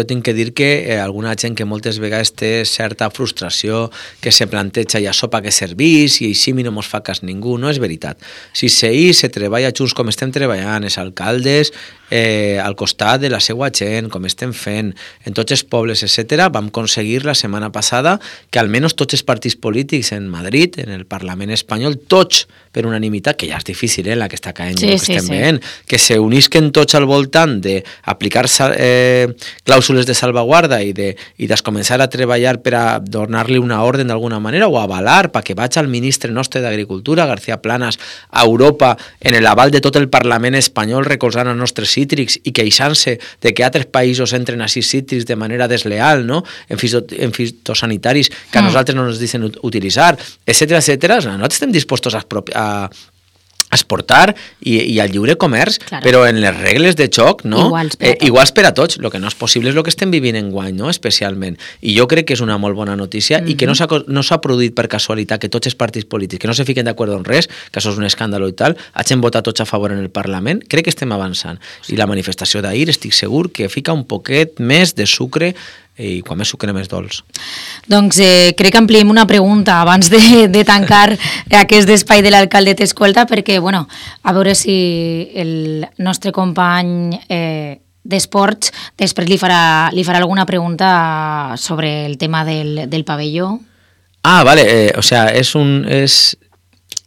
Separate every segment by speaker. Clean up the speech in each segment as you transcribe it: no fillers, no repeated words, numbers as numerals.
Speaker 1: Jo tinc que dir que alguna gent que moltes vegades té certa frustració, que se planteja i això pa què servís i així no mos fa cas ningú, no és veritat. Si se treballa junts com estem treballant, els alcaldes al costat de la seva gent, com estem fent en tots els pobles, etc., vam aconseguir la setmana passada que almenys tots els partits polítics en Madrid, en el Parlament espanyol, tots per unanimitat, que ja és difícil, la que està caient, que estem veient, que se unisquen tots al voltant d'aplicar clàusules de salvaguarda i de començar a treballar per a donar-li una ordre d'alguna manera o avalar perquè vaig al ministre nostre d'Agricultura, García Planas, a Europa en l'aval de tot el Parlament espanyol recolzant els nostres cítrics i queixant-se de que altres països entren a cítrics de manera desleal, no? En fitosanitaris que a nosaltres no ens deixen utilitzar, etcètera, etcètera. Nosaltres estem dispostos a exportar i al lliure comerç, claro, però en les regles de joc, no? Iguals per a tots. El que no és possible és el que estem vivint enguany, no? Especialment. I jo crec que és una molt bona notícia i que no s'ha produït per casualitat que tots els partits polítics, que no se fiquen d'acord en res, que això és un escàndol i tal, hagin votat tots a favor en el Parlament. Crec que estem avançant. I la manifestació d'ahir estic segur que fica un poquet més de sucre i quan més sucre més dolç.
Speaker 2: Doncs crec que ampliem una pregunta abans de tancar aquest espai de l'alcalde t'escolta, perquè, bueno, a veure si el nostre company d'esports després li farà alguna pregunta sobre el tema del pavelló.
Speaker 1: Ah, vale, o sea, és...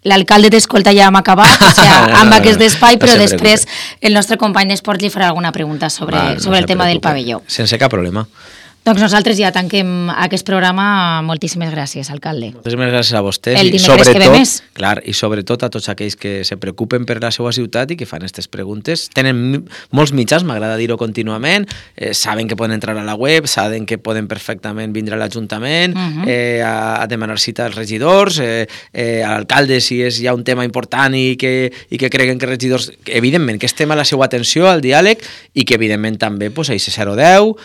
Speaker 2: L'alcalde t'escolta ja hem acabat, o sigui, amb aquest espai, però després el nostre company d'esports li farà alguna pregunta sobre el tema del pavelló.
Speaker 1: Sense cap problema.
Speaker 2: Doncs nosaltres ja tanquem aquest programa. Moltíssimes gràcies, alcalde.
Speaker 1: Moltíssimes gràcies a vostès.
Speaker 2: El dimecres que ve més.
Speaker 1: Clar, i sobretot a tots aquells que se preocupen per la seva ciutat i que fan aquestes preguntes. Tenen molts mitjans, m'agrada dir-ho contínuament, saben que poden entrar a la web, saben que poden perfectament vindre a l'Ajuntament, a demanar cita als regidors, a l'alcalde si hi ha un tema important i que creguen que regidors... Evidentment, que estem a la seva atenció, al diàleg, i que evidentment també a IC010,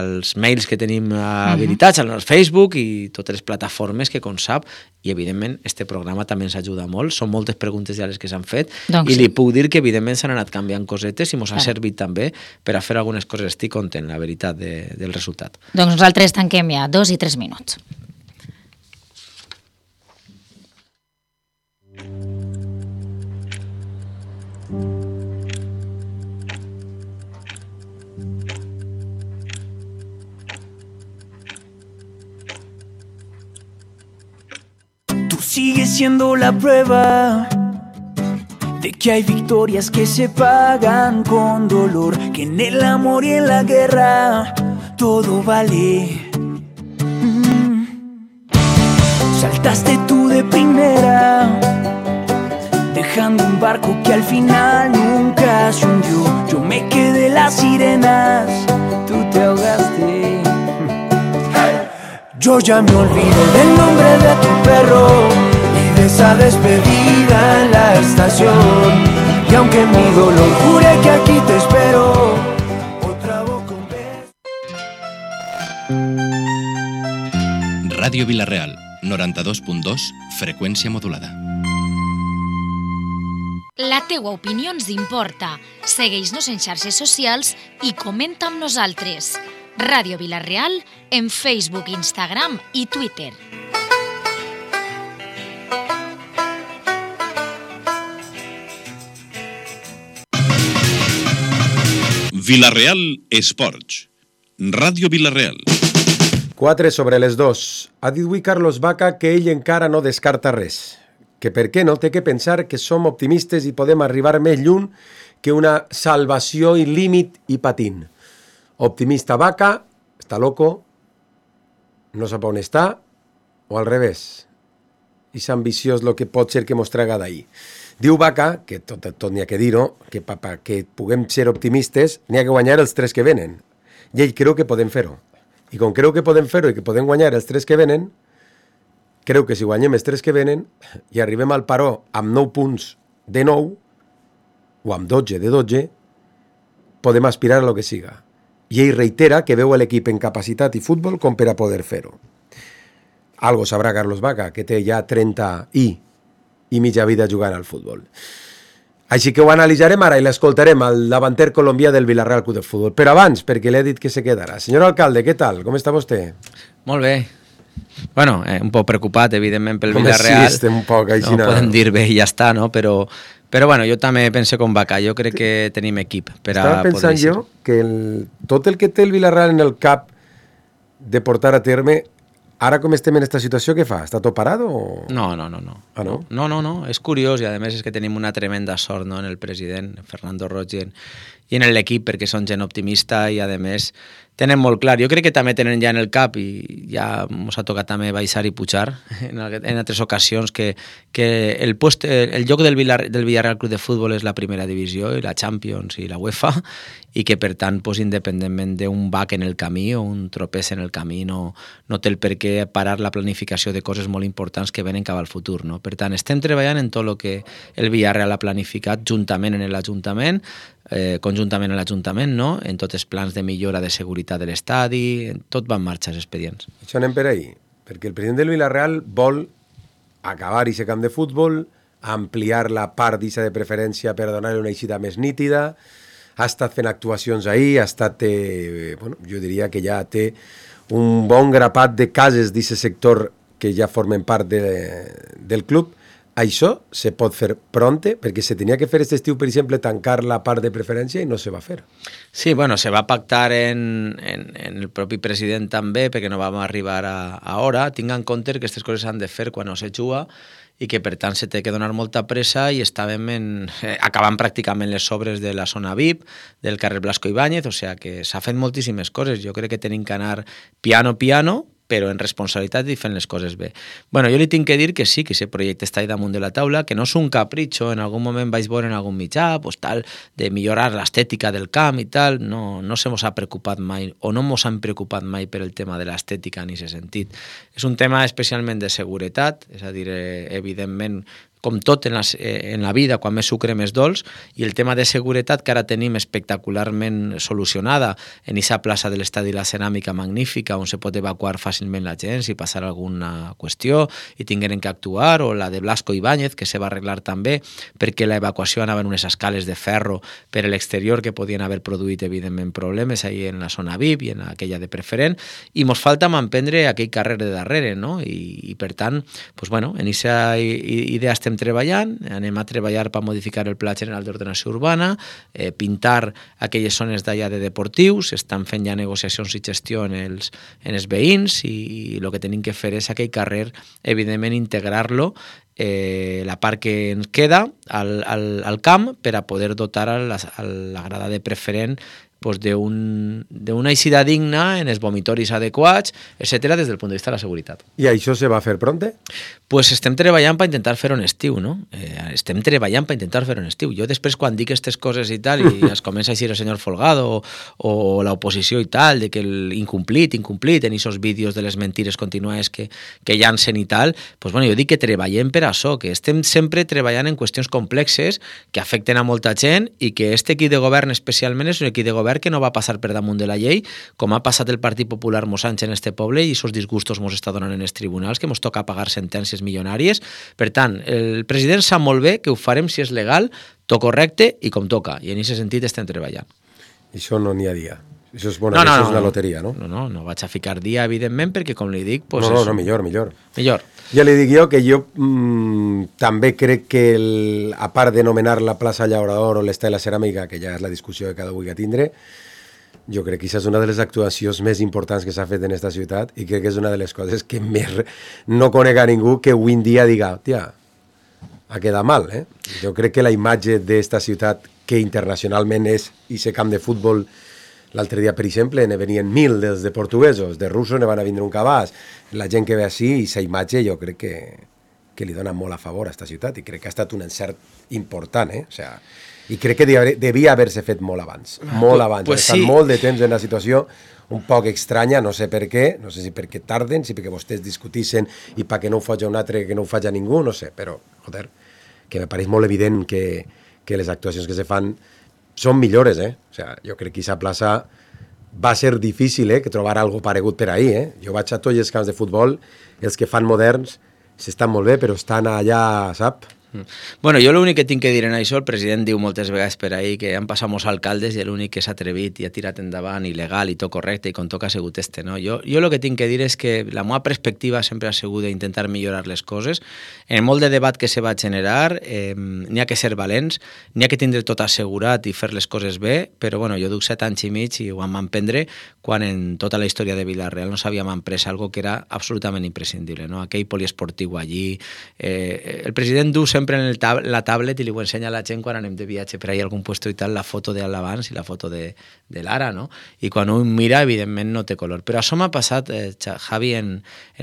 Speaker 1: als mails que tenim habilitats, al Facebook i totes les plataformes que, com sap, i evidentment este programa també ens ajuda molt, són moltes preguntes ja les que s'han fet, i li puc dir que evidentment s'han anat canviant cosetes i ens ha servit també per a fer algunes coses. Estic content, la veritat, del resultat.
Speaker 2: Doncs nosaltres tanquem ja 2 i 3 minuts.
Speaker 3: Sigue siendo la prueba de que hay victorias que se pagan con dolor, que en el amor y en la guerra todo vale. Saltaste tú de primera, dejando un barco que al final nunca se hundió. Yo me quedé las sirenas, tú te ahogaste. Yo ya me olvidé del nombre de tu perro y de esa despedida en la estación. Y aunque mi dolor jure que aquí te espero, otra boca un beso.
Speaker 4: Ràdio Vila-real, 92.2, freqüència modulada.
Speaker 5: La teua opinió ens importa. Segueix-nos en xarxes socials i comenta amb nosaltres. Ràdio Vila-real en Facebook, Instagram i Twitter.
Speaker 6: Vila-real Esports. Ràdio Vila-real.
Speaker 7: 4 sobre les 2. Ha dit avui Carlos Vaca que ell encara no descarta res. Que per què no té que pensar que som optimistes i podem arribar més lluny que una salvació i límit i patint. Optimista Vaca, està loco, no sap on està, o al revés. I és ambiciós el que pot ser que mos traga d'ahir. Diu Vaca, que tot n'hi ha que dir-ho, que que puguem ser optimistes, n'hi ha que guanyar els 3 que venen. I ell creu que podem fer-ho. I com creu que podem fer-ho i que podem guanyar els 3 que venen, creu que si guanyem els 3 que venen i arribem al paró amb 9 punts de 9, o amb 12 de 12, podem aspirar a lo que siga. I ell reitera que veu l'equip en capacitat i futbol com per a poder fer-ho. Algo sabrà Carlos Vaca, que té ja 30 i mitja vida jugant al futbol. Així que ho analitzarem ara i l'escoltarem al davanter colombià del Villarreal Club de Futbol. Però abans, perquè l'he dit que se quedarà. Senyor alcalde, què tal? Com està vostè?
Speaker 1: Molt bé. Bueno, un poc preocupat, evidentment, pel Villarreal.
Speaker 7: Sí, estem un poc així.
Speaker 1: No podem dir bé i ja està, no? Però bueno, jo també penso com Vaca. Jo crec que tenim equip per a
Speaker 7: Estava pensant jo que tot el que té el Villarreal en el cap de portar a terme, ara com estem en aquesta situació, què fa? Està tot parat o...?
Speaker 1: No.
Speaker 7: Ah, no?
Speaker 1: No, és curiós i a més és que tenim una tremenda sort, no?, en el president, Fernando Roig, i en l'equip, perquè són gent optimista i a més tenen molt clar. Jo crec que també tenen ja en el cap, i ja ens ha tocat també baixar i pujar en altres ocasions, que el lloc del Villarreal Club de Futbol és la primera divisió i la Champions i la UEFA, i que per tant, independentment d'un bac en el camí o un tropès en el camí, no té el per què parar la planificació de coses molt importants que venen cap al futur, no? Per tant, estem treballant en tot el que el Villarreal ha planificat juntament en l'Ajuntament, conjuntament en l'Ajuntament, no? En tots els plans de millora de seguretat de l'estadi, tot va en marxa els expedients.
Speaker 7: Això anem per ahir, perquè el president del Villarreal vol acabar aquest camp de futbol, ampliar la part d'issa de preferència per donar-li una eixida més nítida, ha estat fent actuacions ahir, ha estat, jo diria que ja té un bon grapat de cases d'aquest sector que ja formen part del club. Això se pot fer pronte, perquè se tenia que fer aquest estiu, per exemple, tancar la part de preferència i no se va fer.
Speaker 1: Sí, bueno, se va pactar en el propi president també, perquè no vam arribar a hora. Tinga en compte que aquestes coses s'han de fer quan no se juga i que per tant se té que donar molta pressa i estàvem acabant pràcticament les obres de la zona VIP, del carrer Blasco Ibáñez, o sigui que s'ha fet moltíssimes coses. Jo crec que tenim que anar piano, però en responsabilitat i fent les coses bé. Bueno, jo li tinc que dir que sí, que aquest projecte està ahí damunt de la taula, que no és un capritxo, en algun moment vaig veure en algun mitjà, pues tal, de millorar l'estètica del camp i tal, no se mos ha preocupat mai, o no mos han preocupat mai per el tema de l'estètica en aquest sentit. És un tema especialment de seguretat, és a dir, evidentment, com tot en la vida, quan més sucre més dolç, i el tema de seguretat que ara tenim espectacularment solucionada en aquesta plaça de l'Estadi La Ceràmica magnífica, on se pot evacuar fàcilment la gent si passar alguna qüestió i tingueren que actuar, o la de Blasco Ibáñez, que se va arreglar també, perquè l'evacuació anava en unes escales de ferro per l'exterior que podien haver produït, evidentment, problemes ahí en la zona VIP i en aquella de preferent, i mos falta manprendre aquell carrer de darrere, no? I per tant, pues bueno, en aquesta idea estem treballant, anem a treballar per modificar el Pla General d'Ordenació Urbana, pintar aquelles zones d'allà de deportius, estan fent ja negociacions i gestió en els veïns i el que tenim que fer és aquell carrer, evidentment, integrar-lo la part que ens queda al camp per a poder dotar a la grada de preferent d'una eixida digna en els vomitoris adequats, etc., des del punt de vista de la seguretat.
Speaker 7: I això se va fer pronte?
Speaker 1: Pues estem treballant per intentar fer-ho en estiu, no? Estem treballant per intentar fer-ho en estiu. Jo després, quan dic aquestes coses i tal, i es comença a dir el senyor Folgado o l'oposició i tal, de que l'incomplit, en aquests vídeos de les mentires contínues que llancen i tal, pues bueno, jo dic que treballem per això, que estem sempre treballant en qüestions complexes que afecten a molta gent i que este equip de govern especialment és un equip de govern que no va passar per damunt de la llei, com ha passat el Partit Popular mos anys en este poble i aquests disgustos mos està donant en els tribunals, que mos toca pagar sentències milionàries. Per tant, el president sap molt bé que ho farem si és legal, tot correcte i com toca, i en aquest sentit estem treballant.
Speaker 7: Això no n'hi ha dia. Això és bona, això és una loteria, no?
Speaker 1: No vaig a ficar dia, evidentment, perquè com li dic... Pues
Speaker 7: no, millor.
Speaker 1: Millor.
Speaker 7: Ja li dic jo que jo també crec que, a part de nomenar la plaça Llaurador o l'Estadi de la Ceràmica, que ja és la discussió que cada vulgui tindre, jo crec que això és una de les actuacions més importants que s'ha fet en aquesta ciutat i crec que és una de les coses que més no conec a ningú que avui en dia diga, tia, ha quedat mal, eh? Jo crec que la imatge d'esta ciutat, que internacionalment és aquest camp de futbol. L'altre dia, per exemple, ne venien 1.000 dels de portuguesos, de russos ne van a vindre un cabàs. La gent que ve així, i aquesta imatge jo crec que li dona molt a favor a aquesta ciutat i crec que ha estat un encert important, eh? O sea, i crec que devia haver-se fet molt abans. Molt abans. Pues sí. Estan molt de temps en una situació un poc estranya, no sé per què, no sé si perquè tarden, si perquè vostès discutissin i perquè no ho faci un altre, que no ho faci ningú, no sé, però, joder, que me pareix molt evident que les actuacions que se fan són millores, eh? O sea, jo crec que aquesta plaça va ser difícil, que trobar algo paregut per ahir, eh? Jo vaig a tots els camps de futbol, els que fan moderns s'estan molt bé, però estan allà, sap?
Speaker 1: Bueno, jo l'únic que tinc que dir en això, el president diu moltes vegades per ahir que han passat molts alcaldes i l'únic que s'ha atrevit i ha tirat endavant i legal i tot correcte i com toca ha sigut este, no? Jo el que tinc que dir és que la meva perspectiva sempre ha sigut d'intentar millorar les coses. En molt de debat que se va generar n'hi ha que ser valents, n'hi ha que tindre tot assegurat i fer les coses bé, però bueno, jo duc 7 anys i mig i ho vam emprendre quan en tota la història de Vila-real no s'havíem emprès algo que era absolutament imprescindible, no? Aquell poliesportiu allí. El president du sempre en la tablet i li ho ensenya a la gent quan anem de viatge per ahí a algun puesto i tal, la foto de l'abans i la foto de l'ara, no? I quan un mira, evidentment, no té color. Però això m'ha passat, Javi, en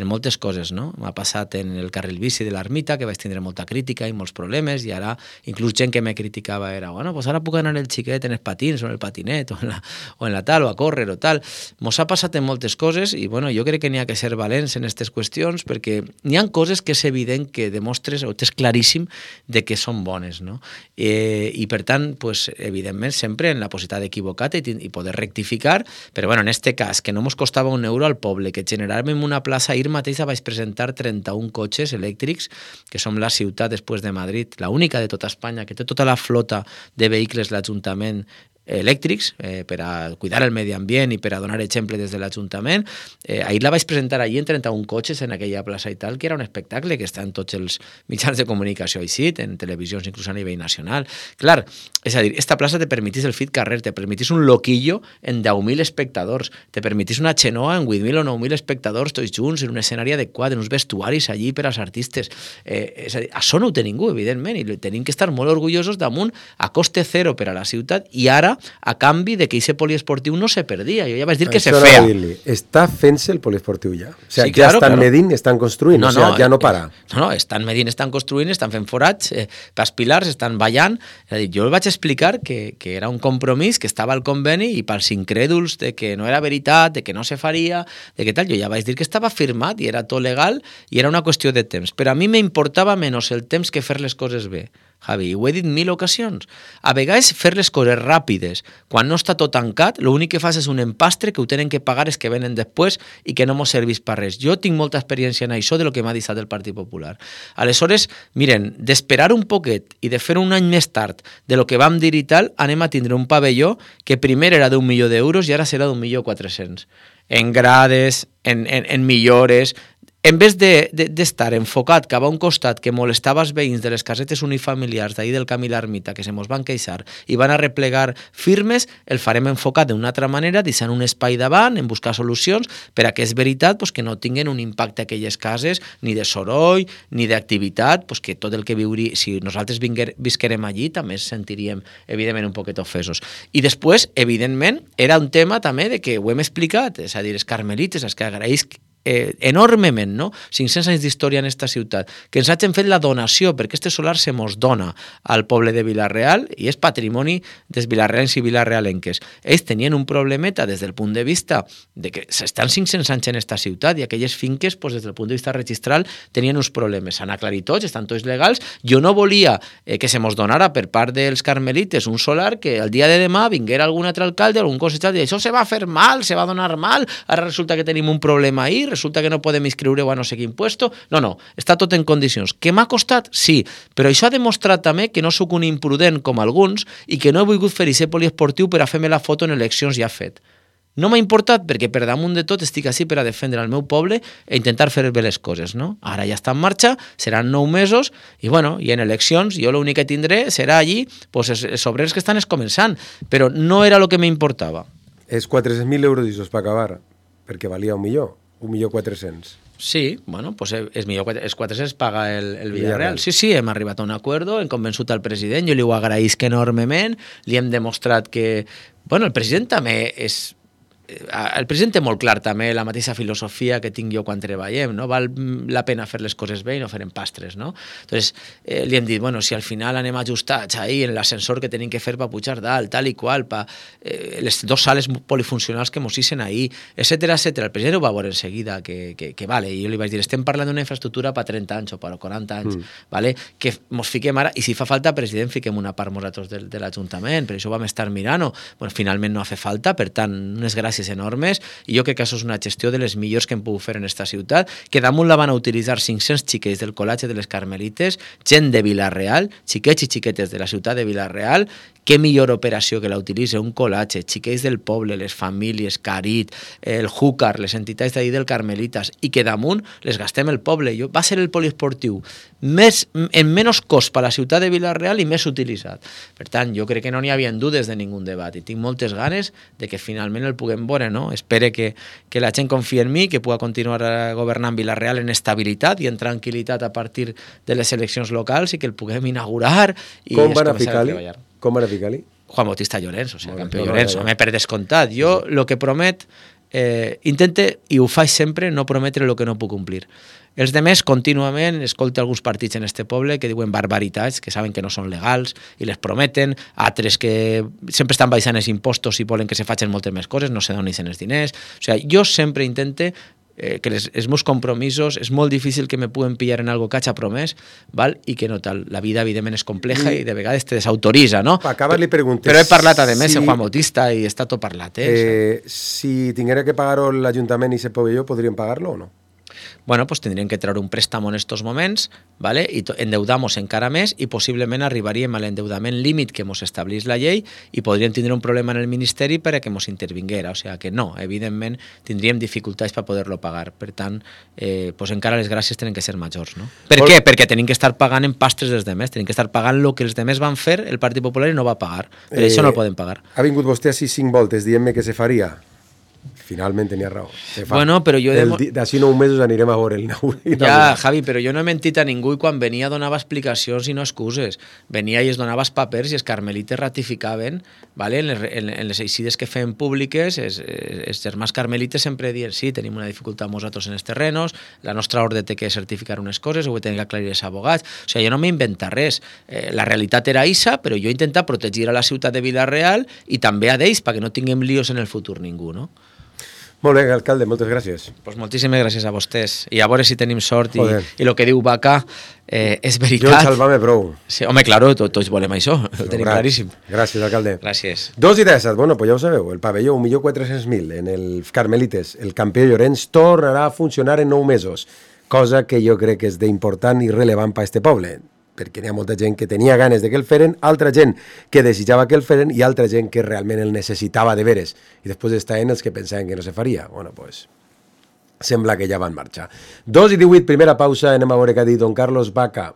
Speaker 1: moltes coses, no? M'ha passat en el carril bici de l'Ermita, que vaig tindre molta crítica i molts problemes, i ara, inclús gent que me criticava era, bueno, pues ara puc anar el xiquet en els patins o en el patinet o en la tal, o a córrer o tal. Mos ha passat en moltes coses i, bueno, jo crec que n'hi ha que ser valents en aquestes qüestions perquè n'hi ha coses que és evident que demostres o és claríssim de que són bones, no? I per tant, pues, evidentment, sempre en la possibilitat d'equivocar-te i poder rectificar, però bueno, en este cas, que no mos costava €1 al poble, que generàvem una plaça, ahir mateix vaig presentar 31 cotxes elèctrics, que som la ciutat després de Madrid, la única de tota Espanya, que té tota la flota de vehicles l'Ajuntament elèctrics per a cuidar el medi ambient i per a donar exemple des de l'Ajuntament. Ahir la vaig presentar allí en 31 cotxes en aquella plaça i tal, que era un espectacle que està en tots els mitjans de comunicació així, en televisions inclús a nivell nacional. Clar, és a dir, esta plaça te permetís el fit carrer, te permetís un loquillo en 10.000 espectadors, te permetís una xenoa en 8.000 o 9.000 espectadors tots junts, en un escenari adequat, en uns vestuaris allí per als artistes. És a dir, això no ho té ningú, evidentment, i tenim que estar molt orgullosos damunt a coste zero per a la ciutat i ara a canvi de que aquest poliesportiu no se perdia. Jo ja vaig dir que se feia.
Speaker 7: Està fent-se el poliesportiu ja? O sigui,
Speaker 1: sí, claro,
Speaker 7: ja estan medint, estan construint, o sigui, ja no para.
Speaker 1: No, estan medint, estan construint, estan fent forats, pels pilars, estan ballant. És a dir, jo vaig explicar que era un compromís, que estava al conveni i pels incrèduls de que no era veritat, de que no se faria, de que tal, jo ja vaig dir que estava firmat i era tot legal i era una qüestió de temps. Però a mi m'importava menys el temps que fer les coses bé. Javi, ho he dit 1000 ocasions. A vegades fer les coses ràpides, quan no està tot tancat, l'únic que fas és un empastre que ho tenen que pagar els que venen després i que no mos serveix per res. Jo tinc molta experiència en això de lo que m'ha deixat el Partit Popular. Aleshores, miren, d'esperar un poquet i de fer un any més tard de lo que vam dir i tal, anem a tindre un pavelló que primer era d'1 milió d'euros i ara serà d'1.400.000. En grades, en millores. En vez d'estar enfocat cap a un costat que molestava els veïns de les casetes unifamiliars d'ahir del Camí l'Ermita, que se mos van queixar i van a replegar firmes, el farem enfocat d'una altra manera, deixant un espai davant, en buscar solucions, per a que és veritat pues, que no tinguin un impacte a aquelles cases, ni de soroll, ni d'activitat, pues, que tot el que viuria, si nosaltres visquerem allí, també ens sentiríem, evidentment, un poquet ofesos. I després, evidentment, era un tema també de que ho hem explicat, és a dir, els carmelites, els que agraeix enormement, no? 500 anys d'història en esta ciutat, que ens hagin fet la donació, perquè este solar se mos dona al poble de Vila-real i és patrimoni dels vilarrealens i vilarrealenques. Ells tenien un problemeta des del punt de vista de que s'estan 500 anys en esta ciutat i aquelles finques, pues, des del punt de vista registral, tenien uns problemes. S'han aclarit tots, estan tots legals. Jo no volia que se mos donara per part dels carmelites un solar que el dia de demà vinguera algun altre alcalde, algun consellera, i això se va fer mal, se va donar mal, ara resulta que tenim un problema ahir, resulta que no podem inscriure-ho a no sé quin puesto. No, està tot en condicions. Que m'ha costat? Sí, però això ha demostrat també que no sóc un imprudent com alguns i que no he volgut fer aquest poliesportiu per a fer-me la foto en eleccions ja fet. No m'ha importat perquè per damunt de tot estic així per a defendre el meu poble i intentar fer bé les coses, no? Ara ja està en marxa, seran 9 mesos i bueno, i en eleccions jo l'únic que tindré serà allí pues, els obrers que estan començant, però no era el que m'importava.
Speaker 7: És 400.000 euros i us va acabar, perquè valia 1.400.000.
Speaker 1: Sí, bueno, pues és millor, els 400 paga el Villarreal. Sí, hem arribat a un acord, hem convençut al president, jo li ho agraïsc enormement, li hem demostrat que... Bueno, el president també és... El president té molt clar també la mateixa filosofia que tinc jo quan treballem, no? Val la pena fer les coses bé i no fer empastres, no? Entonces, li hem dit, bueno, si al final anem ajustats ahí en l'ascensor que tenim que fer per pujar dalt, tal i qual, les 2 sales polifuncionals que mos hissen ahí, etcètera. El president ho va veure en seguida, que vale, i jo li vaig dir, estem parlant d'una infraestructura per 30 anys o per 40 anys, vale? Que mos fiquem ara, i si fa falta, president, fiquem una part nosaltres de l'Ajuntament, per això vam estar mirant, bueno, finalment no ha fet falta, per tant, unes gràcies cotxes enormes, i jo crec que això és una gestió de les millors que hem pogut fer en esta ciutat, que damunt la van a utilitzar 500 xiquets del Col·legi de les Carmelites, gent de Vila-real, xiquets i xiquetes de la ciutat de Vila-real. Què millor operació que la utilitzi un col·legi, xiquets del poble, les famílies, Carit, el Júcar, les entitats d'ahir del Carmelitas, i que damunt les gastem el poble. Va ser el poliesportiu en menys cost per a la ciutat de Vila-real i més utilitzat. Per tant, jo crec que no n'hi havia dubtes de ningú debat i tinc moltes ganes de que finalment el puguem veure, no? Espero que la gent confia en mi, que pugui continuar governant Vila-real en estabilitat i en tranquil·litat a partir de les eleccions locals i que el puguem inaugurar i començar a treballar.
Speaker 7: Com van a ficar-li?
Speaker 1: Juan Bautista Llorenç, o sigui, campió Llorenç, home, per descomptat. Jo el que promet, intente, i ho faig sempre, no prometre el que no puc complir. Els demés contínuament escolto alguns partits en este poble que diuen barbaritats, que saben que no són legals i les prometen, altres que sempre estan baixant els impostos i volen que se facin moltes més coses, no se donin els diners. O sigui, jo sempre intente que els meus compromisos és molt difícil que me puguen pillar en algo que hagi promès, val? I que no tal. La vida, evidentment, és compleja i de vegades te desautoritza, no?
Speaker 7: Per acabar, li preguntes...
Speaker 1: Però he parlat, a més, amb Juan Bautista i està tot parlat,
Speaker 7: si tinguera que pagar-ho l'Ajuntament i se provelló, podrien pagar-lo o no?
Speaker 1: Bueno, pues tindríem que treure un préstamo en estos moments, ¿vale? I endeudamos encara més i possiblement arribaríem a l'endeudament límit que ens establís la llei i podríem tindre un problema en el Ministeri per a que ens intervinguera. O sigui que no, evidentment tindríem dificultats per poder-lo pagar. Per tant, pues encara les gràcies tenen que ser majors, no? Per què? Perquè tenim que estar pagant en pastres dels demés, tenim que estar pagant el que els demés van fer, el Partit Popular i no va pagar. Per això no el poden pagar.
Speaker 7: Ha vingut vostè a 5 voltes dient-me que se faria. Finalment tenia raó.
Speaker 1: Bueno, però jo...
Speaker 7: D'ací 9 mesos anirem a veure el nou.
Speaker 1: Ja, Javi, però jo no he mentit a ningú i quan venia donava explicacions i no excuses. Venia i es donava els papers i els carmelites ratificaven, ¿vale? En les eixides que feien públiques, els germans carmelites sempre diuen sí, tenim una dificultat nosaltres en els terrenos, la nostra ordre té que certificar unes coses, ho tenen que aclarir els abogats. O sigui, jo no m'inventa res. La realitat era issa, però jo he intentat protegir a la ciutat de Vila-real i també a d'ells, perquè no tinguem líos en el futur ningú, no?
Speaker 7: Molt bé, alcalde, moltes gràcies.
Speaker 1: Pues moltíssimes gràcies a vostès. I a veure si tenim sort i el que diu Vaca és veritat.
Speaker 7: Jo salvar-me prou.
Speaker 1: Sí, home, claro, tots volem això, ho tenim claríssim.
Speaker 7: Gràcies, alcalde.
Speaker 1: Gràcies.
Speaker 7: 2:17, bueno, pues ja ho sabeu, el pavelló 1.400.000 en els Carmelites, el campió Llorenç tornarà a funcionar en 9 mesos, cosa que jo crec que és d'important i rellevant per a este poble, perquè hi ha molta gent que tenia ganes de que el feren, altra gent que desitjava que el feren i altra gent que realment el necessitava de veres. I després estaven els que pensaven que no se faria. Bueno, pues sembla que ja van marxar. 2:18, primera pausa, anem a veure què ha dit don Carlos Vaca.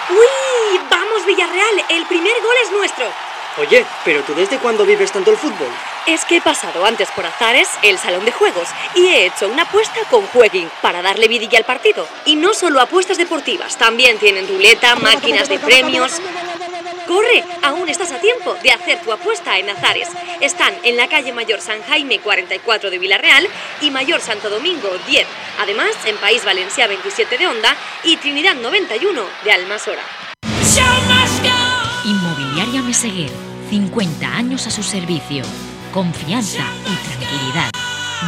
Speaker 8: ¡Uy! ¡Vamos, Villarreal! El primer gol es nuestro.
Speaker 9: Oye, ¿pero tú desde cuándo vives tanto el fútbol?
Speaker 8: Es que he pasado antes por Azares, el salón de juegos, y he hecho una apuesta con Jueguin para darle vidilla al partido. Y no solo apuestas deportivas, también tienen ruleta, máquinas de premios... ¡Corre! Aún estás a tiempo de hacer tu apuesta en Azares. Están en la calle Mayor San Jaime 44 de Vila-real y Mayor Santo Domingo 10. Además, en País Valencià 27 de Onda y Trinidad 91 de Almasora.
Speaker 5: Inmobiliaria Meseguer, 50 años a su servicio. Confianza y tranquilidad.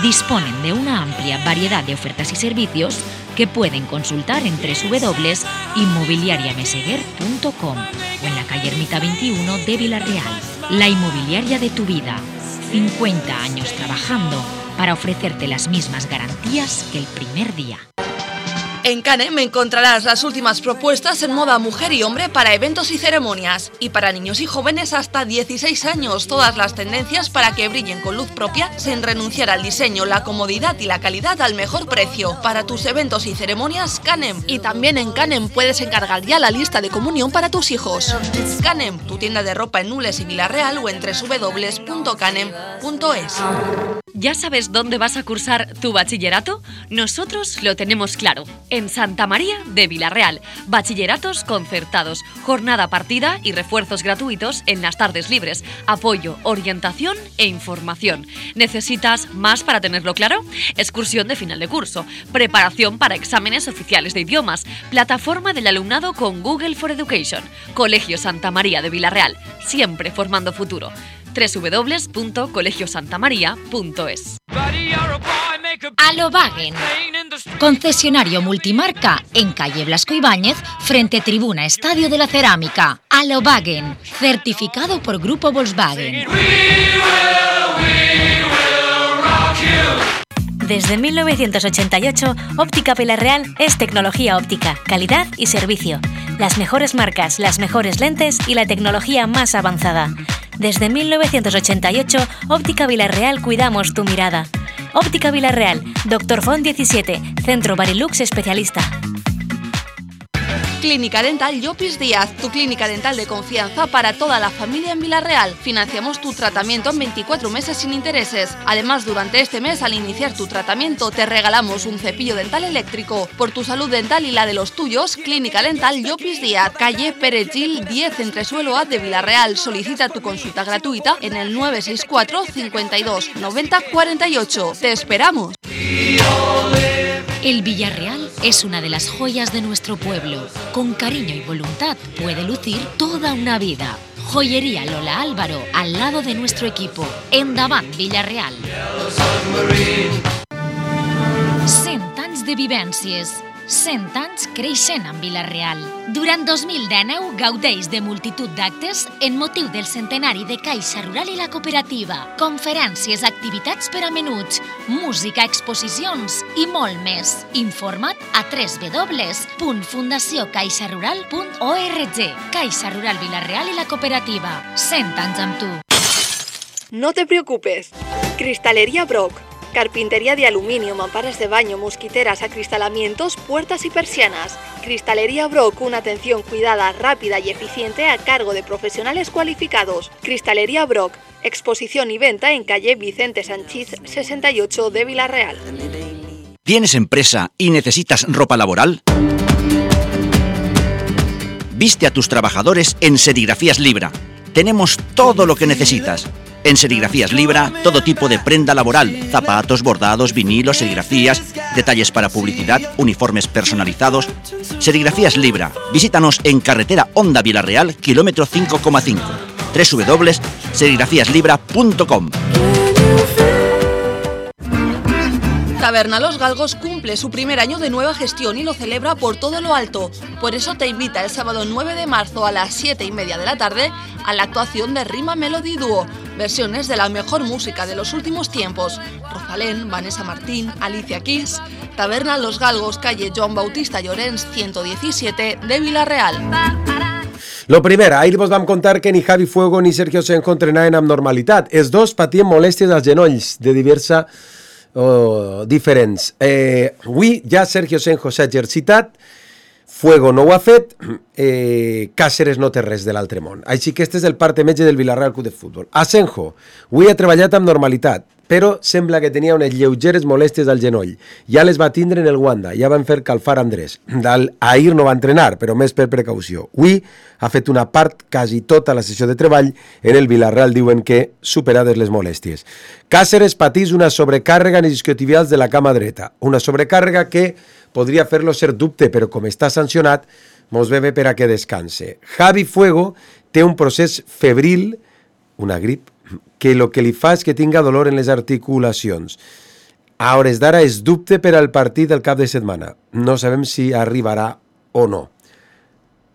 Speaker 5: Disponen de una amplia variedad de ofertas y servicios que pueden consultar en www.inmobiliariameseguer.com o en la calle Ermita 21 de Vila-real. La inmobiliaria de tu vida. 50 años trabajando para ofrecerte las mismas garantías que el primer día.
Speaker 10: En Canem encontrarás las últimas propuestas en moda mujer y hombre para eventos y ceremonias. Y para niños y jóvenes hasta 16 años, todas las tendencias para que brillen con luz propia sin renunciar al diseño, la comodidad y la calidad al mejor precio. Para tus eventos y ceremonias, Canem. Y también en Canem puedes encargar ya la lista de comunión para tus hijos. Canem, tu tienda de ropa en Nules y Vila-real o en www.canem.es.
Speaker 11: ¿Ya sabes dónde vas a cursar tu bachillerato? Nosotros lo tenemos claro. En Santa María de Vila-real. Bachilleratos concertados, jornada partida y refuerzos gratuitos en las tardes libres. Apoyo, orientación e información. ¿Necesitas más para tenerlo claro? Excursión de final de curso, preparación para exámenes oficiales de idiomas, plataforma del alumnado con Google for Education. Colegio Santa María de Vila-real, siempre formando futuro. www.colegiosantamaria.es.
Speaker 5: Alobagen, concesionario multimarca en calle Blasco Ibáñez, frente Tribuna Estadio de la Cerámica. Alobagen, certificado por Grupo Volkswagen.
Speaker 12: Desde 1988, Óptica Villarreal es tecnología óptica, calidad y servicio. Las mejores marcas, las mejores lentes y la tecnología más avanzada. Desde 1988, Óptica Villarreal cuidamos tu mirada. Óptica Villarreal, Dr. Font 17, Centro Barilux especialista.
Speaker 10: Clínica Dental Llopis Díaz, tu clínica dental de confianza para toda la familia en Villarreal. Financiamos tu tratamiento en 24 meses sin intereses. Además, durante este mes, al iniciar tu tratamiento, te regalamos un cepillo dental eléctrico. Por tu salud dental y la de los tuyos, Clínica Dental Llopis Díaz, calle Pérez Gil 10, entresuelo A de Villarreal. Solicita tu consulta gratuita en el 964 52 90 48. ¡Te esperamos!
Speaker 5: El Villarreal es una de las joyas de nuestro pueblo. Con cariño y voluntad puede lucir toda una vida. Joyería Lola Álvaro, al lado de nuestro equipo. Endavant, Villarreal. 100 anys de vivències. 100 anys creixent en Villarreal. Durant 2019 gaudeix de multitud d'actes en motiu del centenari de Caixa Rural i la Cooperativa. Conferències, activitats per a menuts, música, exposicions i molt més. Informa't a www.fundaciocaixarural.org. Caixa Rural Villarreal i la Cooperativa. 100 anys amb tu.
Speaker 8: No te preocupes. Cristalería Brock. Carpintería de aluminio, mamparas de baño, mosquiteras, acristalamientos, puertas y persianas. Cristalería Brock, una atención cuidada, rápida y eficiente a cargo de profesionales cualificados. Cristalería Brock, exposición y venta en calle Vicente Sanchís 68 de Villarreal.
Speaker 13: ¿Tienes empresa y necesitas ropa laboral? Viste a tus trabajadores en Serigrafías Libra. Tenemos todo lo que necesitas. En Serigrafías Libra, todo tipo de prenda laboral, zapatos, bordados, vinilos, serigrafías, detalles para publicidad, uniformes personalizados. Serigrafías Libra. Visítanos en carretera Honda Villarreal, kilómetro 5,5. www.serigrafiaslibra.com.
Speaker 10: Taberna Los Galgos cumple su primer año de nueva gestión y lo celebra por todo lo alto. Por eso te invita el sábado 9 de marzo a las 7:30 de la tarde a la actuación de Rima Melody Duo. Versiones de la mejor música de los últimos tiempos. Rosalén, Vanessa Martín, Alicia Keys. Taberna Los Galgos, calle Joan Bautista Llorens, 117 de Villarreal.
Speaker 7: Lo primer, ahir vos vam contar que ni Javi Fuego ni Sergio Senjo entrenaven amb normalitat. Els dos patien molèsties als genolls de diversa diferents. Avui ja Sergio Senjo s'ha exercitat, Fuego no ho ha fet, Cáceres no té res de l'altre món. Així que este és el parte metge del Villarreal Club de Futbol. Asenjo, avui ha treballat amb normalitat, però sembla que tenia unes lleugeres molèsties al genoll. Ja les va tindre en el Wanda, ja van fer calfar Andrés. Ahir no va entrenar, però més per precaució. Avui ha fet una part, quasi tota la sessió de treball, en el Villarreal diuen que superades les molèsties. Cáceres patís una sobrecàrrega en els isquiotibials de la cama dreta, una sobrecàrrega que podria fer-lo ser dubte, però com està sancionat, mos ve bé per a que descanse. Javi Fuego té un procés febril, una grip, que el que li fa és que tinga dolor en les articulacions. A hores d'ara és dubte per al partit del cap de setmana. No sabem si arribarà o no.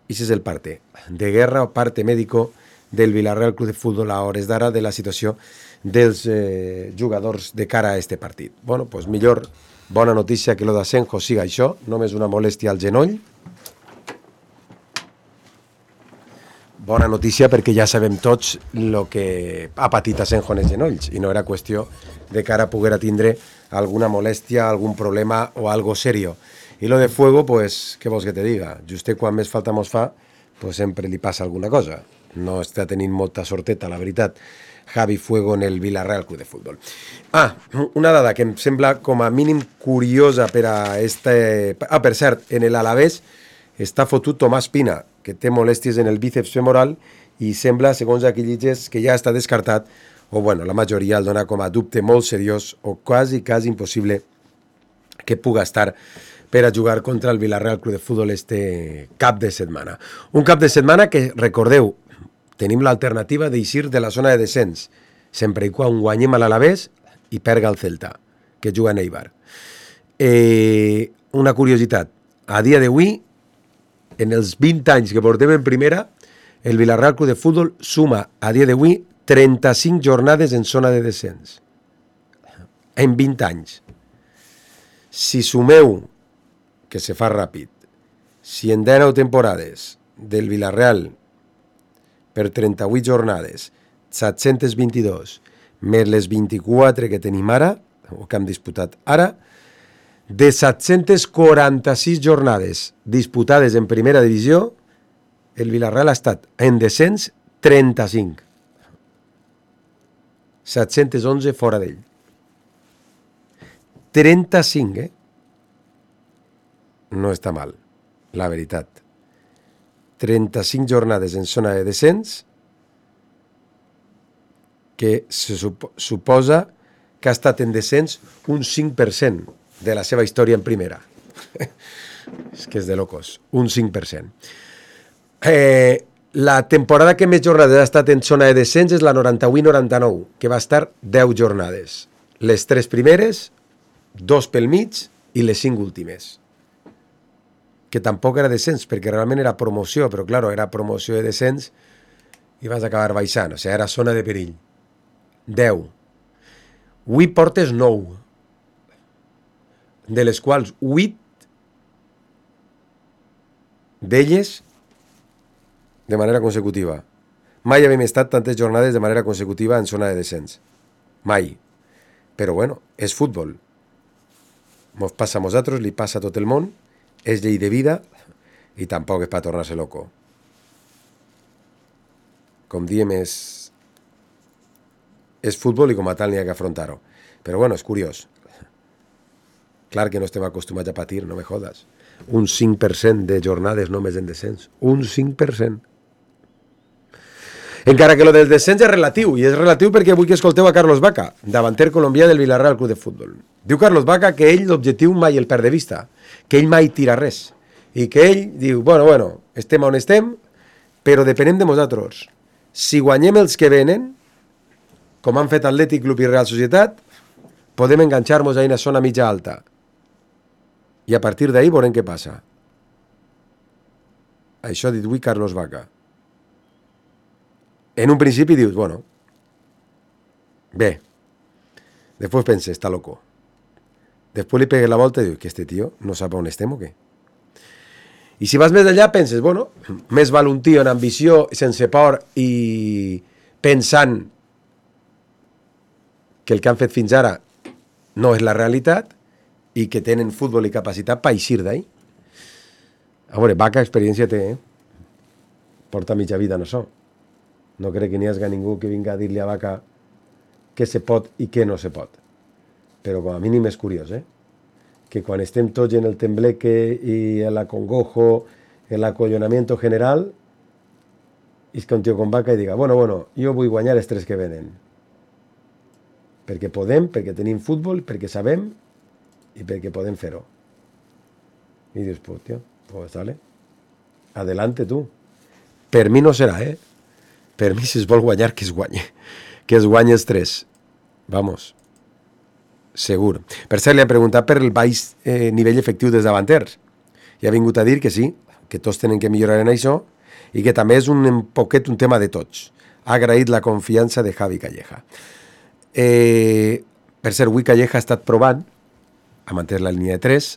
Speaker 7: Això és el parte de guerra o parte mèdico del Villarreal Club de Futbol a hores d'ara de la situació dels jugadors de cara a este partit. Bueno, doncs millor bona notícia que lo d'Asenjo siga això, només una molèstia al genoll. Bona notícia perquè ja sabem tots el que ha patit Asenjo en els genolls i no era qüestió de cara a poder tindre alguna molèstia, algun problema o algo serio. I lo de Fuego, pues, què vols que te diga? Just quan més falta mos fa, pues sempre li passa alguna cosa. No està tenint molta sorteta, la veritat, Javi Fuego en el Villarreal Club de Futbol. Una dada que em sembla com a mínim curiosa per a este... per cert, en l'Alavés està fotut Tomàs Pina, que té molèsties en el bíceps femoral i sembla, segons aquí llitges, que ja està descartat, o bueno, la majoria el dona com a dubte molt seriós o quasi impossible que puga estar per a jugar contra el Villarreal Club de Futbol este cap de setmana. Un cap de setmana que, recordeu, tenim l'alternativa d'eixir de la zona de descens, sempre i quan guanyem a l'Alavés i perga el Celta, que juga en Eibar. Una curiositat, a dia d'avui, en els 20 anys que portem en primera, el Villarreal Club de Futbol suma a dia d'avui 35 jornades en zona de descens. En 20 anys. Si sumeu, que se fa ràpid, si en 19 temporades del Villarreal per 38 jornades, 722, més les 24 que tenim ara, o que hem disputat ara, de 746 jornades disputades en primera divisió, el Villarreal ha estat en descens 35. 711 fora d'ell. 35, No està mal, la veritat. 35 jornades en zona de descens, que se suposa que ha estat en descens un 5% de la seva història en primera. És que és de locos, un 5%. La temporada que més jornades ha estat en zona de descens és la 91-99, que va estar 10 jornades. Les 3 primeres, 2 pel mig i les 5 últimes. Que tampoc era descens, perquè realment era promoció, però claro, era promoció de descens i vas acabar baixant, o sigui, era zona de perill. 10. Avui portes 9, de les quals 8 d'elles de manera consecutiva. Mai havíem estat tantes jornades de manera consecutiva en zona de descens. Mai. Però bueno, és futbol. Mos passa a nosaltres, li passa a tot el món, és llei de vida i tampoc és per tornar-se loco. Com diem, és futbol i com a tal n'hi ha que afrontar-ho. Però bueno, és curiós. Clar que no estem acostumats a patir, no me jodes. Un 5% de jornades només en descens. Un 5%. Encara que lo del descens és relatiu, i és relatiu perquè vull que escolteu a Carlos Vaca, davanter colombià del Villarreal Club de Futbol. Diu Carlos Vaca que ell l'objectiu mai el perd de vista, que ell mai tira res, i que ell diu, bueno, estem on estem, però depenem de nosaltres. Si guanyem els que venen, com han fet Atlètic Club i Real Societat, podem enganxar-nos a una zona mitja alta. I a partir d'ahí veurem què passa. Això ha dit avui Carlos Vaca. En un principi dius, bueno, bé. Després penses, està loco. Després li pegues la volta i dius, que este tio no sap on estem o què? I si vas més enllà penses, bueno, més val un tio en ambició, sense por i pensant que el que han fet fins ara no és la realitat i que tenen futbol i capacitat per eixir d'ahí. A veure, Vaca experiència té, porta mitja vida en això. No crec que n'hi hagi ningú que vinga a dir-li a Vaca què se pot i què no se pot. Però com a mínim és curiós, que quan estem tots en el tembleque i el acongojo, el acollonamiento general, és que un tio com Vaca i diga, bueno, jo vull guanyar els 3 que venen. Perquè podem, perquè tenim futbol, perquè sabem i perquè podem fer-ho. I dius, pues, tio, pues dale. Adelante tu. Per mi no serà, Per mi, si es vol guanyar, que es guanyi. Que es guanyi els 3. Vamos. Segur. Per cert, li han preguntat per el baix nivell efectiu dels davanters. I ha vingut a dir que sí, que tots tenen que millorar en això i que també és un poquet un tema de tots. Ha agraït la confiança de Javi Calleja. Per cert, avui Calleja ha estat provant a mantenir la línia de 3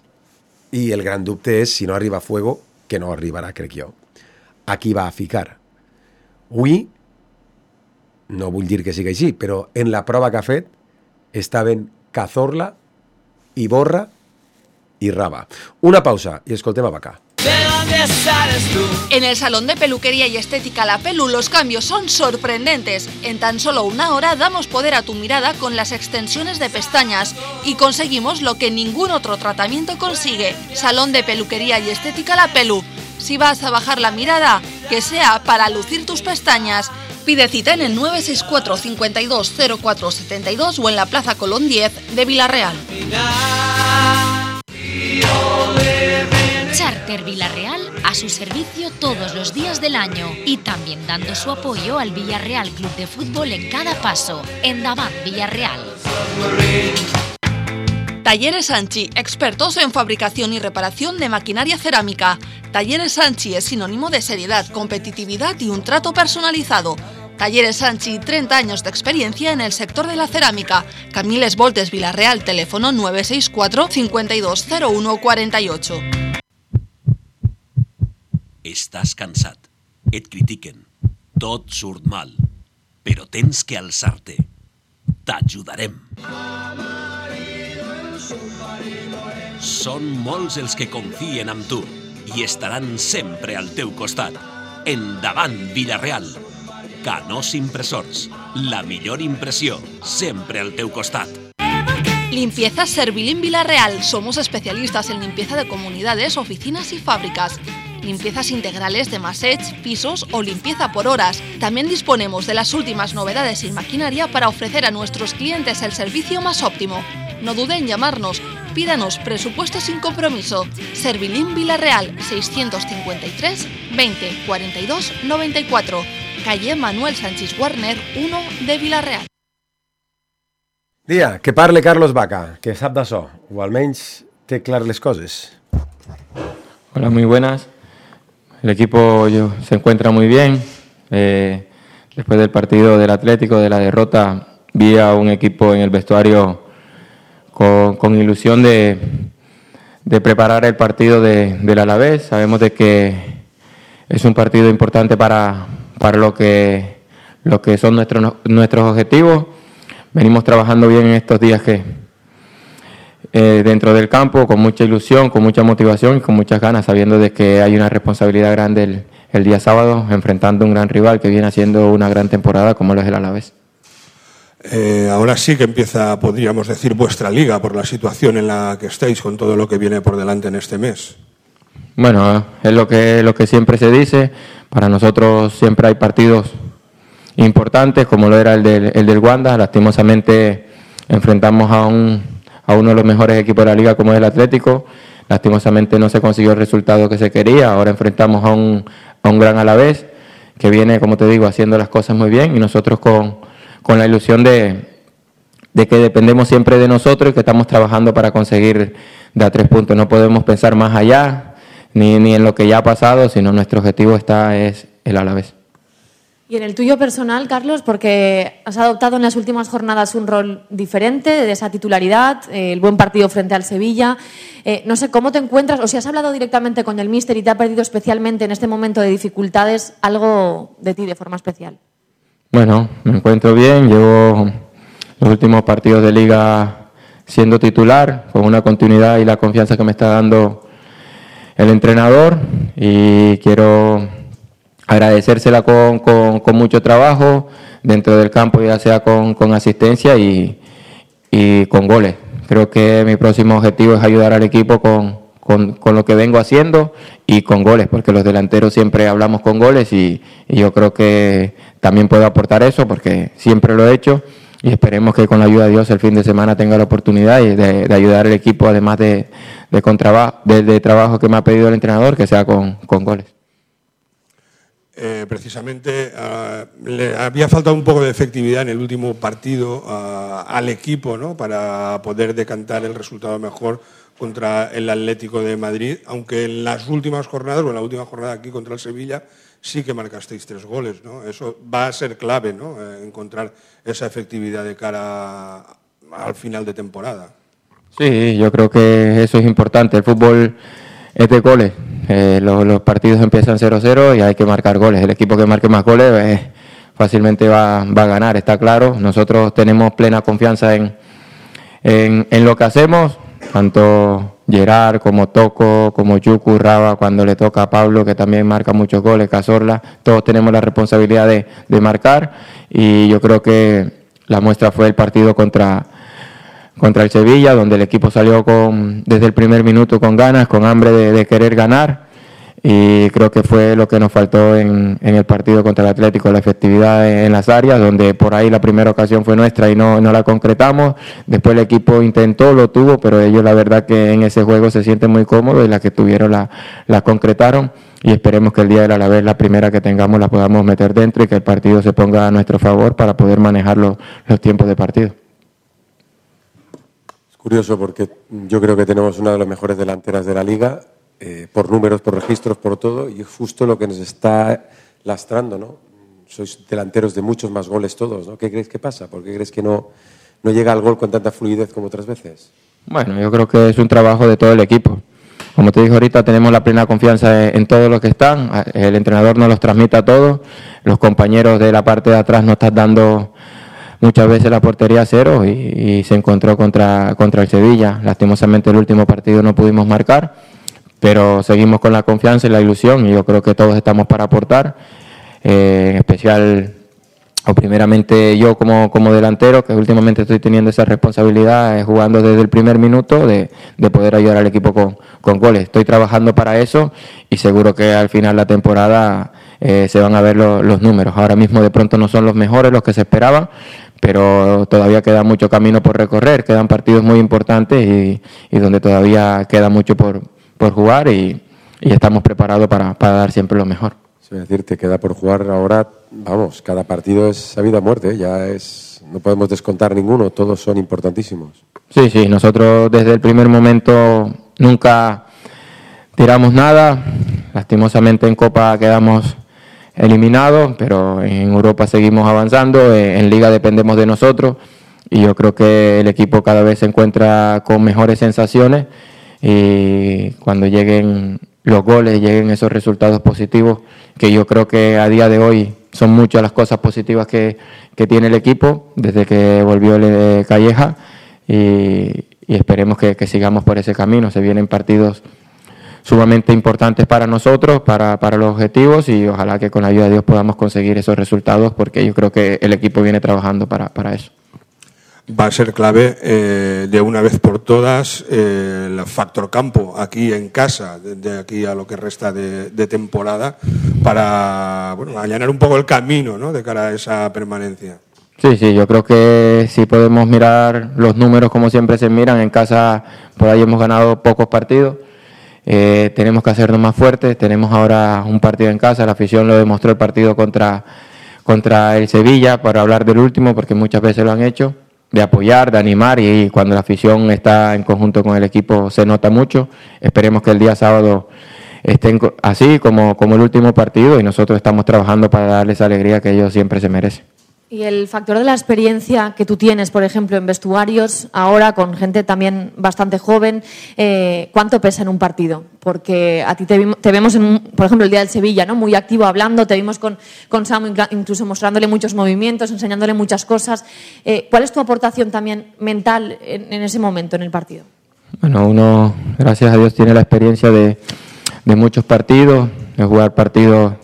Speaker 7: i el gran dubte és si no arriba a Fuego, que no arribarà, crec jo. A qui va a ficar? Avui, no vull dir que sigui així, però en la prova que ha fet estaven Cazorla, Iborra i Raba. Una pausa y escoltem a Vaca.
Speaker 10: En el salón de peluquería y estética La Pelu los cambios son sorprendentes. En tan solo una hora damos poder a tu mirada con las extensiones de pestañas y conseguimos lo que ningún otro tratamiento consigue. Salón de peluquería y estética La Pelu. Si vas a bajar la mirada, que sea para lucir tus pestañas. Pide cita en el 964 52 04 72 o en la Plaza Colón 10 de Villarreal.
Speaker 5: Charter Villarreal a su servicio todos los días del año y también dando su apoyo al Villarreal Club de Fútbol en cada paso. Endavant Villarreal.
Speaker 10: Talleres Sanchi, expertos en fabricación y reparación de maquinaria cerámica. Talleres Sanchi es sinónimo de seriedad, competitividad y un trato personalizado. Talleres Sanchi, 30 años de experiencia en el sector de la cerámica. Camiles Voltes, Vilarreal, teléfono 964 5201 48.
Speaker 14: Estàs cansat, et critiquen, tot surt mal, però tens que alçar-te. T'ajudarem. Són molts els que confien en tu i estaran sempre al teu costat. Endavant, Vilareal. Canós Impresors, la millor impressió, sempre al teu costat.
Speaker 10: Limpieza Servilín Vilarreal. Somos especialistas en limpieza de comunidades, oficinas y fábricas. Limpiezas integrales de massage, pisos o limpieza por horas. También disponemos de las últimas novedades en maquinaria para ofrecer a nuestros clientes el servicio más óptimo. No duden en llamarnos. Pídanos presupuesto sin compromiso. Servilín Vilarreal, 653 20 42 94. Calle Manuel Sánchez Warner, 1 de Vilarreal.
Speaker 7: Dia, que parle Carlos Vaca, que sap d'això, o almenys té clar les coses.
Speaker 15: Hola, muy buenas. El equipo se encuentra muy bien. Después del partido del Atlético, de la derrota, vi a un equipo en el vestuario con ilusión de preparar el partido del Alavés. Sabemos de que es un partido importante para lo que son nuestros objetivos. Venimos trabajando bien en estos días dentro del campo, con mucha ilusión, con mucha motivación y con muchas ganas, sabiendo de que hay una responsabilidad grande el día sábado, enfrentando a un gran rival que viene haciendo una gran temporada como lo es el Alavés.
Speaker 16: Ahora sí que empieza, podríamos decir, vuestra liga por la situación en la que estáis, con todo lo que viene por delante en este mes.
Speaker 15: Bueno, es lo que siempre se dice. Para nosotros siempre hay partidos importantes, como lo era el del Wanda. Lastimosamente enfrentamos a uno de los mejores equipos de la liga, como es el Atlético. Lastimosamente no se consiguió el resultado que se quería. Ahora enfrentamos a un gran Alavés que viene, como te digo, haciendo las cosas muy bien, y nosotros con la ilusión de que dependemos siempre de nosotros y que estamos trabajando para conseguir de a 3 puntos. No podemos pensar más allá ni en lo que ya ha pasado, sino nuestro objetivo es el Alavés.
Speaker 17: Y en el tuyo personal, Carlos, porque has adoptado en las últimas jornadas un rol diferente de esa titularidad, el buen partido frente al Sevilla. No sé cómo te encuentras, o si has hablado directamente con el míster y te ha perdido especialmente en este momento de dificultades algo de ti de forma especial.
Speaker 15: Bueno, me encuentro bien, llevo los últimos partidos de liga siendo titular, con una continuidad y la confianza que me está dando el entrenador, y quiero agradecérsela con mucho trabajo dentro del campo, ya sea con asistencia y con goles. Creo que mi próximo objetivo es ayudar al equipo con lo que vengo haciendo y con goles, porque los delanteros siempre hablamos con goles y yo creo que también puedo aportar eso, porque siempre lo he hecho, y esperemos que con la ayuda de Dios el fin de semana tenga la oportunidad de ayudar al equipo, además de trabajo que me ha pedido el entrenador, que sea con goles.
Speaker 16: Precisamente le había faltado un poco de efectividad en el último partido al equipo, ¿no?, para poder decantar el resultado mejor contra el Atlético de Madrid, aunque en las últimas jornadas, o en la última jornada aquí contra el Sevilla, sí que marcasteis 3 goles, ¿no? Eso va a ser clave, ¿no?, encontrar esa efectividad de cara al final de temporada.
Speaker 15: Sí, yo creo que eso es importante. El fútbol es de goles. Los partidos empiezan 0-0 y hay que marcar goles. El equipo que marque más goles fácilmente va a ganar, está claro. Nosotros tenemos plena confianza en lo que hacemos, tanto Gerard como Toco, como Yuku, Raba, cuando le toca a Pablo, que también marca muchos goles, Cazorla. Todos tenemos la responsabilidad de marcar, y yo creo que la muestra fue el partido contra el Sevilla, donde el equipo salió desde el primer minuto con ganas, con hambre de querer ganar, y creo que fue lo que nos faltó en el partido contra el Atlético, la efectividad en las áreas, donde por ahí la primera ocasión fue nuestra y no la concretamos. Después el equipo intentó, lo tuvo, pero ellos la verdad que en ese juego se sienten muy cómodos, y la que tuvieron la concretaron, y esperemos que el día del Alavés, la primera que tengamos, la podamos meter dentro y que el partido se ponga a nuestro favor para poder manejar los tiempos de partido.
Speaker 7: Curioso, porque yo creo que tenemos una de las mejores delanteras de la liga, por números, por registros, por todo, y es justo lo que nos está lastrando, ¿no? sois delanteros de muchos más goles todos, ¿no? ¿Qué crees que pasa? ¿Por qué crees que no llega al gol con tanta fluidez como otras veces?
Speaker 15: Bueno, yo creo que es un trabajo de todo el equipo. Como te dije ahorita, tenemos la plena confianza en todos los que están. El entrenador nos los transmite a todos. Los compañeros de la parte de atrás nos están dando muchas veces la portería a cero y se encontró contra el Sevilla. Lastimosamente el último partido no pudimos marcar, pero seguimos con la confianza y la ilusión y yo creo que todos estamos para aportar. En especial, o primeramente yo como delantero, que últimamente estoy teniendo esa responsabilidad, jugando desde el primer minuto de poder ayudar al equipo con goles. Estoy trabajando para eso y seguro que al final de la temporada se van a ver los números. Ahora mismo de pronto no son los mejores, los que se esperaban, pero todavía queda mucho camino por recorrer, quedan partidos muy importantes y donde todavía queda mucho por jugar y estamos preparados para dar siempre lo mejor.
Speaker 7: Es decir, te queda por jugar ahora, vamos, cada partido es a vida o muerte, no podemos descontar ninguno, todos son importantísimos.
Speaker 15: Sí, nosotros desde el primer momento nunca tiramos nada, lastimosamente en Copa quedamos eliminados, pero en Europa seguimos avanzando, en Liga dependemos de nosotros y yo creo que el equipo cada vez se encuentra con mejores sensaciones y cuando lleguen los goles, lleguen esos resultados positivos, que yo creo que a día de hoy son muchas las cosas positivas que tiene el equipo desde que volvió Calleja y esperemos que sigamos por ese camino. Se vienen partidos sumamente importantes para nosotros, para los objetivos y ojalá que con la ayuda de Dios podamos conseguir esos resultados porque yo creo que el equipo viene trabajando para eso.
Speaker 16: Va a ser clave de una vez por todas el factor campo aquí en casa, de aquí a lo que resta de temporada, para allanar un poco el camino, ¿no?, de cara a esa permanencia.
Speaker 15: Sí, yo creo que si podemos mirar los números como siempre se miran, en casa por ahí hemos ganado pocos partidos, tenemos que hacernos más fuertes, tenemos ahora un partido en casa, la afición lo demostró el partido contra el Sevilla, para hablar del último, porque muchas veces lo han hecho, de apoyar, de animar y cuando la afición está en conjunto con el equipo se nota mucho. Esperemos que el día sábado estén así como el último partido y nosotros estamos trabajando para darles alegría que ellos siempre se merecen.
Speaker 17: Y el factor de la experiencia que tú tienes, por ejemplo, en vestuarios, ahora con gente también bastante joven, ¿cuánto pesa en un partido? Porque a ti te vemos, por ejemplo, el día del Sevilla, ¿no?, muy activo hablando, te vimos con Samu incluso mostrándole muchos movimientos, enseñándole muchas cosas. ¿Cuál es tu aportación también mental en ese momento, en el partido?
Speaker 15: Bueno, uno, gracias a Dios, tiene la experiencia de muchos partidos, de jugar partidos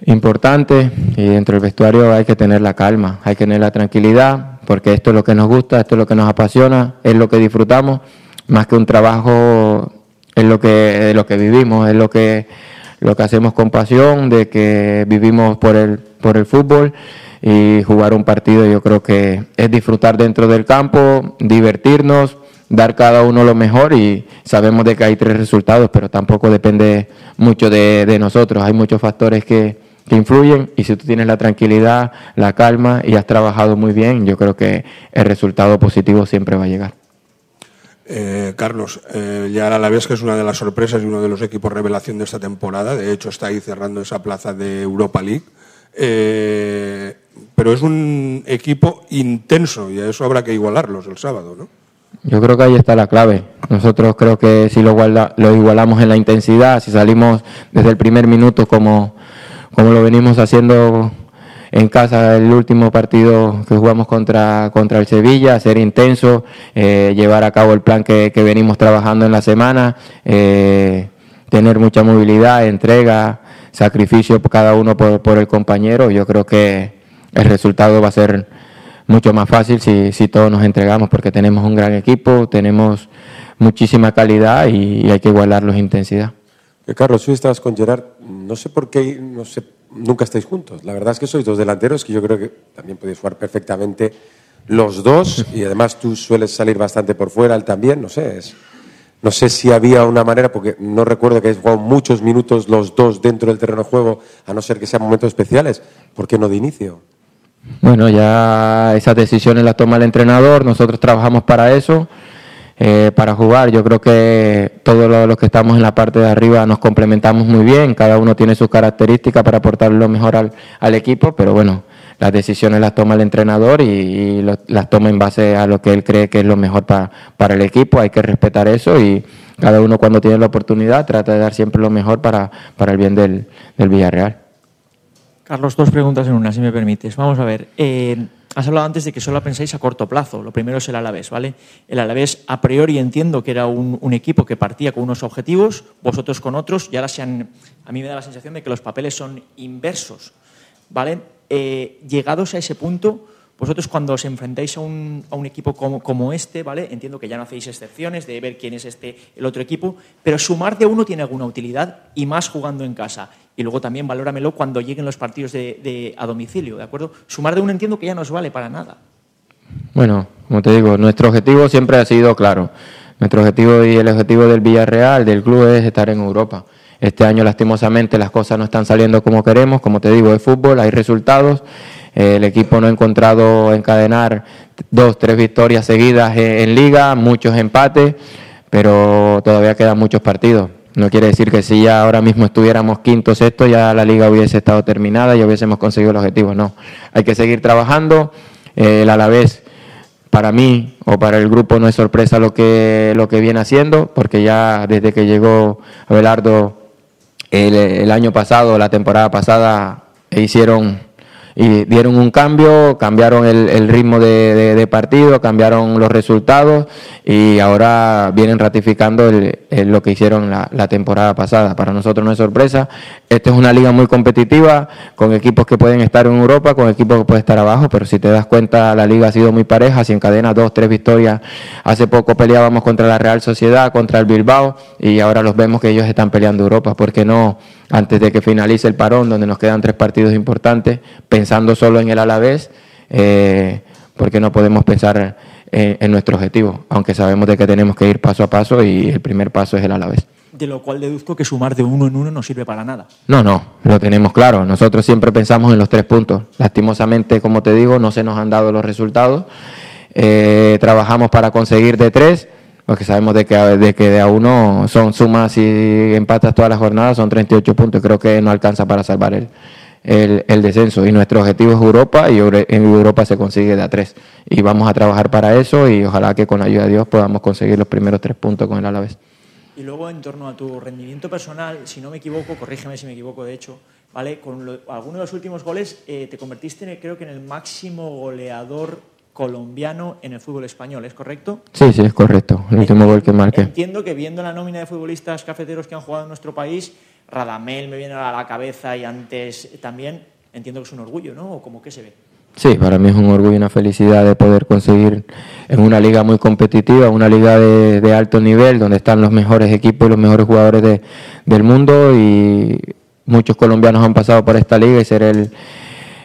Speaker 15: importante y dentro del vestuario hay que tener la calma, hay que tener la tranquilidad porque esto es lo que nos gusta, esto es lo que nos apasiona, es lo que disfrutamos, más que un trabajo es lo que vivimos, es lo que hacemos con pasión, de que vivimos por el fútbol y jugar un partido yo creo que es disfrutar dentro del campo, divertirnos, dar cada uno lo mejor y sabemos de que hay 3 resultados, pero tampoco depende mucho de nosotros, hay muchos factores que influyen y si tú tienes la tranquilidad, la calma y has trabajado muy bien, yo creo que el resultado positivo siempre va a llegar.
Speaker 16: Carlos, ya el Alavés, que es una de las sorpresas y uno de los equipos revelación de esta temporada, de hecho está ahí cerrando esa plaza de Europa League, pero es un equipo intenso y a eso habrá que igualarlos el sábado, ¿no?
Speaker 15: Yo creo que ahí está la clave. Nosotros creo que si lo igualamos en la intensidad, si salimos desde el primer minuto como lo venimos haciendo en casa el último partido que jugamos contra el Sevilla, ser intenso, llevar a cabo el plan que venimos trabajando en la semana, tener mucha movilidad, entrega, sacrificio cada uno por el compañero. Yo creo que el resultado va a ser mucho más fácil si todos nos entregamos porque tenemos un gran equipo, tenemos muchísima calidad y hay que igualarlos en intensidad.
Speaker 7: Carlos, hoy estabas con Gerard, no sé por qué, nunca estáis juntos. La verdad es que sois 2 delanteros que yo creo que también podéis jugar perfectamente los dos y además tú sueles salir bastante por fuera, él también, no sé si había una manera, porque no recuerdo que hayáis jugado muchos minutos los dos dentro del terreno de juego, a no ser que sean momentos especiales. ¿Por qué no de inicio?
Speaker 15: Bueno, ya esas decisiones las toma el entrenador, nosotros trabajamos para eso para jugar. Yo creo que todos los que estamos en la parte de arriba nos complementamos muy bien, cada uno tiene sus características para aportar lo mejor al equipo, pero bueno, las decisiones las toma el entrenador y las toma en base a lo que él cree que es lo mejor para el equipo. Hay que respetar eso y cada uno cuando tiene la oportunidad trata de dar siempre lo mejor para el bien del Villarreal.
Speaker 18: Carlos, 2 preguntas en una, si me permites. Vamos a ver, has hablado antes de que solo pensáis a corto plazo. Lo primero es el Alavés, ¿vale? El Alavés, a priori, entiendo que era un equipo que partía con unos objetivos, vosotros con otros, y ahora a mí me da la sensación de que los papeles son inversos, ¿vale? Llegados a ese punto, vosotros cuando os enfrentáis a un equipo como este, ¿vale? Entiendo que ya no hacéis excepciones de ver quién es el otro equipo, pero sumar de uno tiene alguna utilidad y más jugando en casa. Y luego también valóramelo cuando lleguen los partidos a domicilio, ¿de acuerdo? Sumar de uno entiendo que ya no os vale para nada.
Speaker 15: Bueno, como te digo, nuestro objetivo siempre ha sido claro. Nuestro objetivo y el objetivo del Villarreal, del club, es estar en Europa. Este año, lastimosamente, las cosas no están saliendo como queremos. Como te digo, es fútbol, hay resultados. El equipo no ha encontrado encadenar 2-3 victorias seguidas en Liga, muchos empates, pero todavía quedan muchos partidos. No quiere decir que si ya ahora mismo estuviéramos quinto o sexto, ya la Liga hubiese estado terminada y hubiésemos conseguido el objetivo. No, hay que seguir trabajando. El Alavés, para mí o para el grupo, no es sorpresa lo que viene haciendo, porque ya desde que llegó Abelardo el año pasado, la temporada pasada, dieron un cambio, cambiaron el ritmo de partido, cambiaron los resultados y ahora vienen ratificando lo que hicieron la temporada pasada. Para nosotros no es sorpresa. Esta es una liga muy competitiva, con equipos que pueden estar en Europa, con equipos que pueden estar abajo, pero si te das cuenta, la liga ha sido muy pareja, si encadena 2-3 victorias. Hace poco peleábamos contra la Real Sociedad, contra el Bilbao, y ahora los vemos que ellos están peleando Europa. ¿Por qué no, antes de que finalice el parón, donde nos quedan 3 partidos importantes, pensando solo en el Alavés, por qué no podemos pensar en nuestro objetivo? Aunque sabemos de que tenemos que ir paso a paso y el primer paso es el Alavés.
Speaker 18: De lo cual deduzco que sumar de uno en uno no sirve para nada.
Speaker 15: No, lo tenemos claro. Nosotros siempre pensamos en los 3 puntos. Lastimosamente, como te digo, no se nos han dado los resultados. Trabajamos para conseguir de 3, porque sabemos de que de a uno son sumas y empatas todas las jornadas, son 38 puntos. Creo que no alcanza para salvar el descenso. Y nuestro objetivo es Europa, y en Europa se consigue de a 3. Y vamos a trabajar para eso y ojalá que con la ayuda de Dios podamos conseguir los primeros 3 puntos con el Alavés.
Speaker 18: Y luego, en torno a tu rendimiento personal, si no me equivoco, corrígeme si me equivoco, de hecho, ¿vale? Con alguno de los últimos goles te convertiste, creo que en el máximo goleador colombiano en el fútbol español, ¿es correcto?
Speaker 15: Sí, es correcto, el último gol que marqué.
Speaker 18: Entiendo que viendo la nómina de futbolistas cafeteros que han jugado en nuestro país, Radamel me viene a la cabeza y antes también, entiendo que es un orgullo, ¿no? ¿O cómo que se ve?
Speaker 15: Sí, para mí es un orgullo y una felicidad de poder conseguir en una liga muy competitiva, una liga de alto nivel, donde están los mejores equipos y los mejores jugadores del mundo, y muchos colombianos han pasado por esta liga, y ser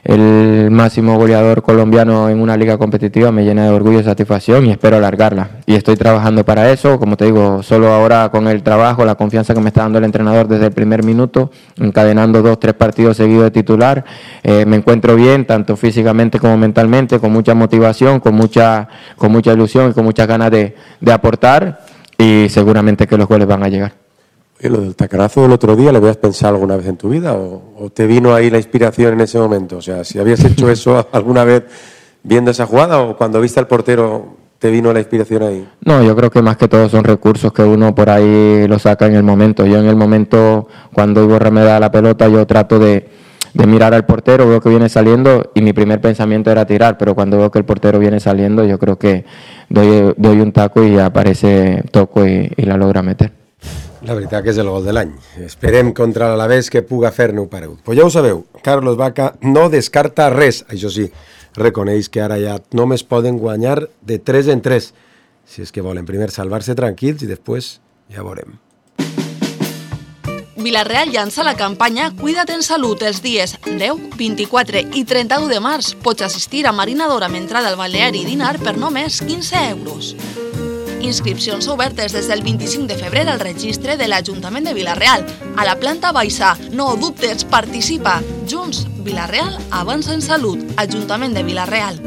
Speaker 15: el máximo goleador colombiano en una liga competitiva me llena de orgullo y satisfacción, y espero alargarla. Y estoy trabajando para eso, como te digo, solo ahora con el trabajo, la confianza que me está dando el entrenador desde el primer minuto, encadenando 2-3 partidos seguidos de titular, me encuentro bien, tanto físicamente como mentalmente, con mucha motivación, con mucha ilusión y con muchas ganas de aportar, y seguramente que los goles van a llegar.
Speaker 7: ¿Y lo del tacarazo del otro día, lo habías pensado alguna vez en tu vida o te vino ahí la inspiración en ese momento? O sea, si habías hecho eso alguna vez viendo esa jugada, o cuando viste al portero te vino la inspiración ahí.
Speaker 15: No, yo creo que más que todo son recursos que uno por ahí lo saca en el momento. Yo en el momento, cuando Iborra me da la pelota, yo trato de mirar al portero, veo que viene saliendo y mi primer pensamiento era tirar, pero cuando veo que el portero viene saliendo, yo creo que doy un taco y aparece, toco y la logra meter.
Speaker 7: La veritat que és el gol de l'any. Esperem contra l'Alavés que puga fer-ne un paregut. Pues ja ho sabeu, Carlos Vaca no descarta res. Això sí, reconeix que ara ja només poden guanyar de 3 en 3. Si és que volen primer salvar-se tranquils i després ja veurem.
Speaker 10: Villarreal llança la campanya Cuida't en Salut els dies 10, 24 i 31 de març. Pots assistir a marinadora amb entrada al balneari i dinar per només 15 euros. Inscripcions obertes des del 25 de febrer al registre de l'Ajuntament de Villarreal. A la planta baixa, no dubtes, participa. Junts, Villarreal avança en salut. Ajuntament de Villarreal.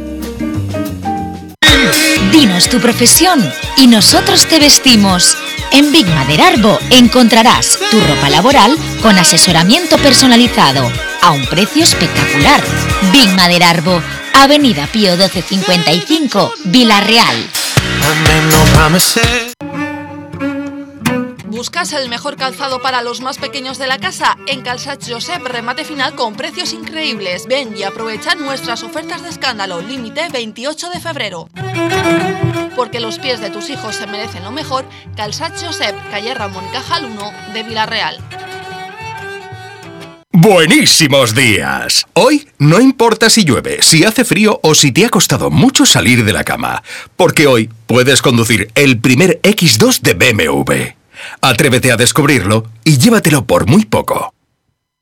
Speaker 5: Dinos tu profesión y nosotros te vestimos. En Big Maderarbo encontrarás tu ropa laboral con asesoramiento personalizado a un precio espectacular. Big Maderarbo, Avenida Pío 1255, Vila-real.
Speaker 10: ¿Buscas el mejor calzado para los más pequeños de la casa? En Calçats Josep, remate final con precios increíbles. Ven y aprovecha nuestras ofertas de escándalo, límite 28 de febrero. Porque los pies de tus hijos se merecen lo mejor, Calçats Josep, calle Ramón y Cajal 1 de Vila-real.
Speaker 19: ¡Buenísimos días! Hoy no importa si llueve, si hace frío o si te ha costado mucho salir de la cama, porque hoy puedes conducir el primer X2 de BMW. Atrévete a descubrirlo y llévatelo por muy poco.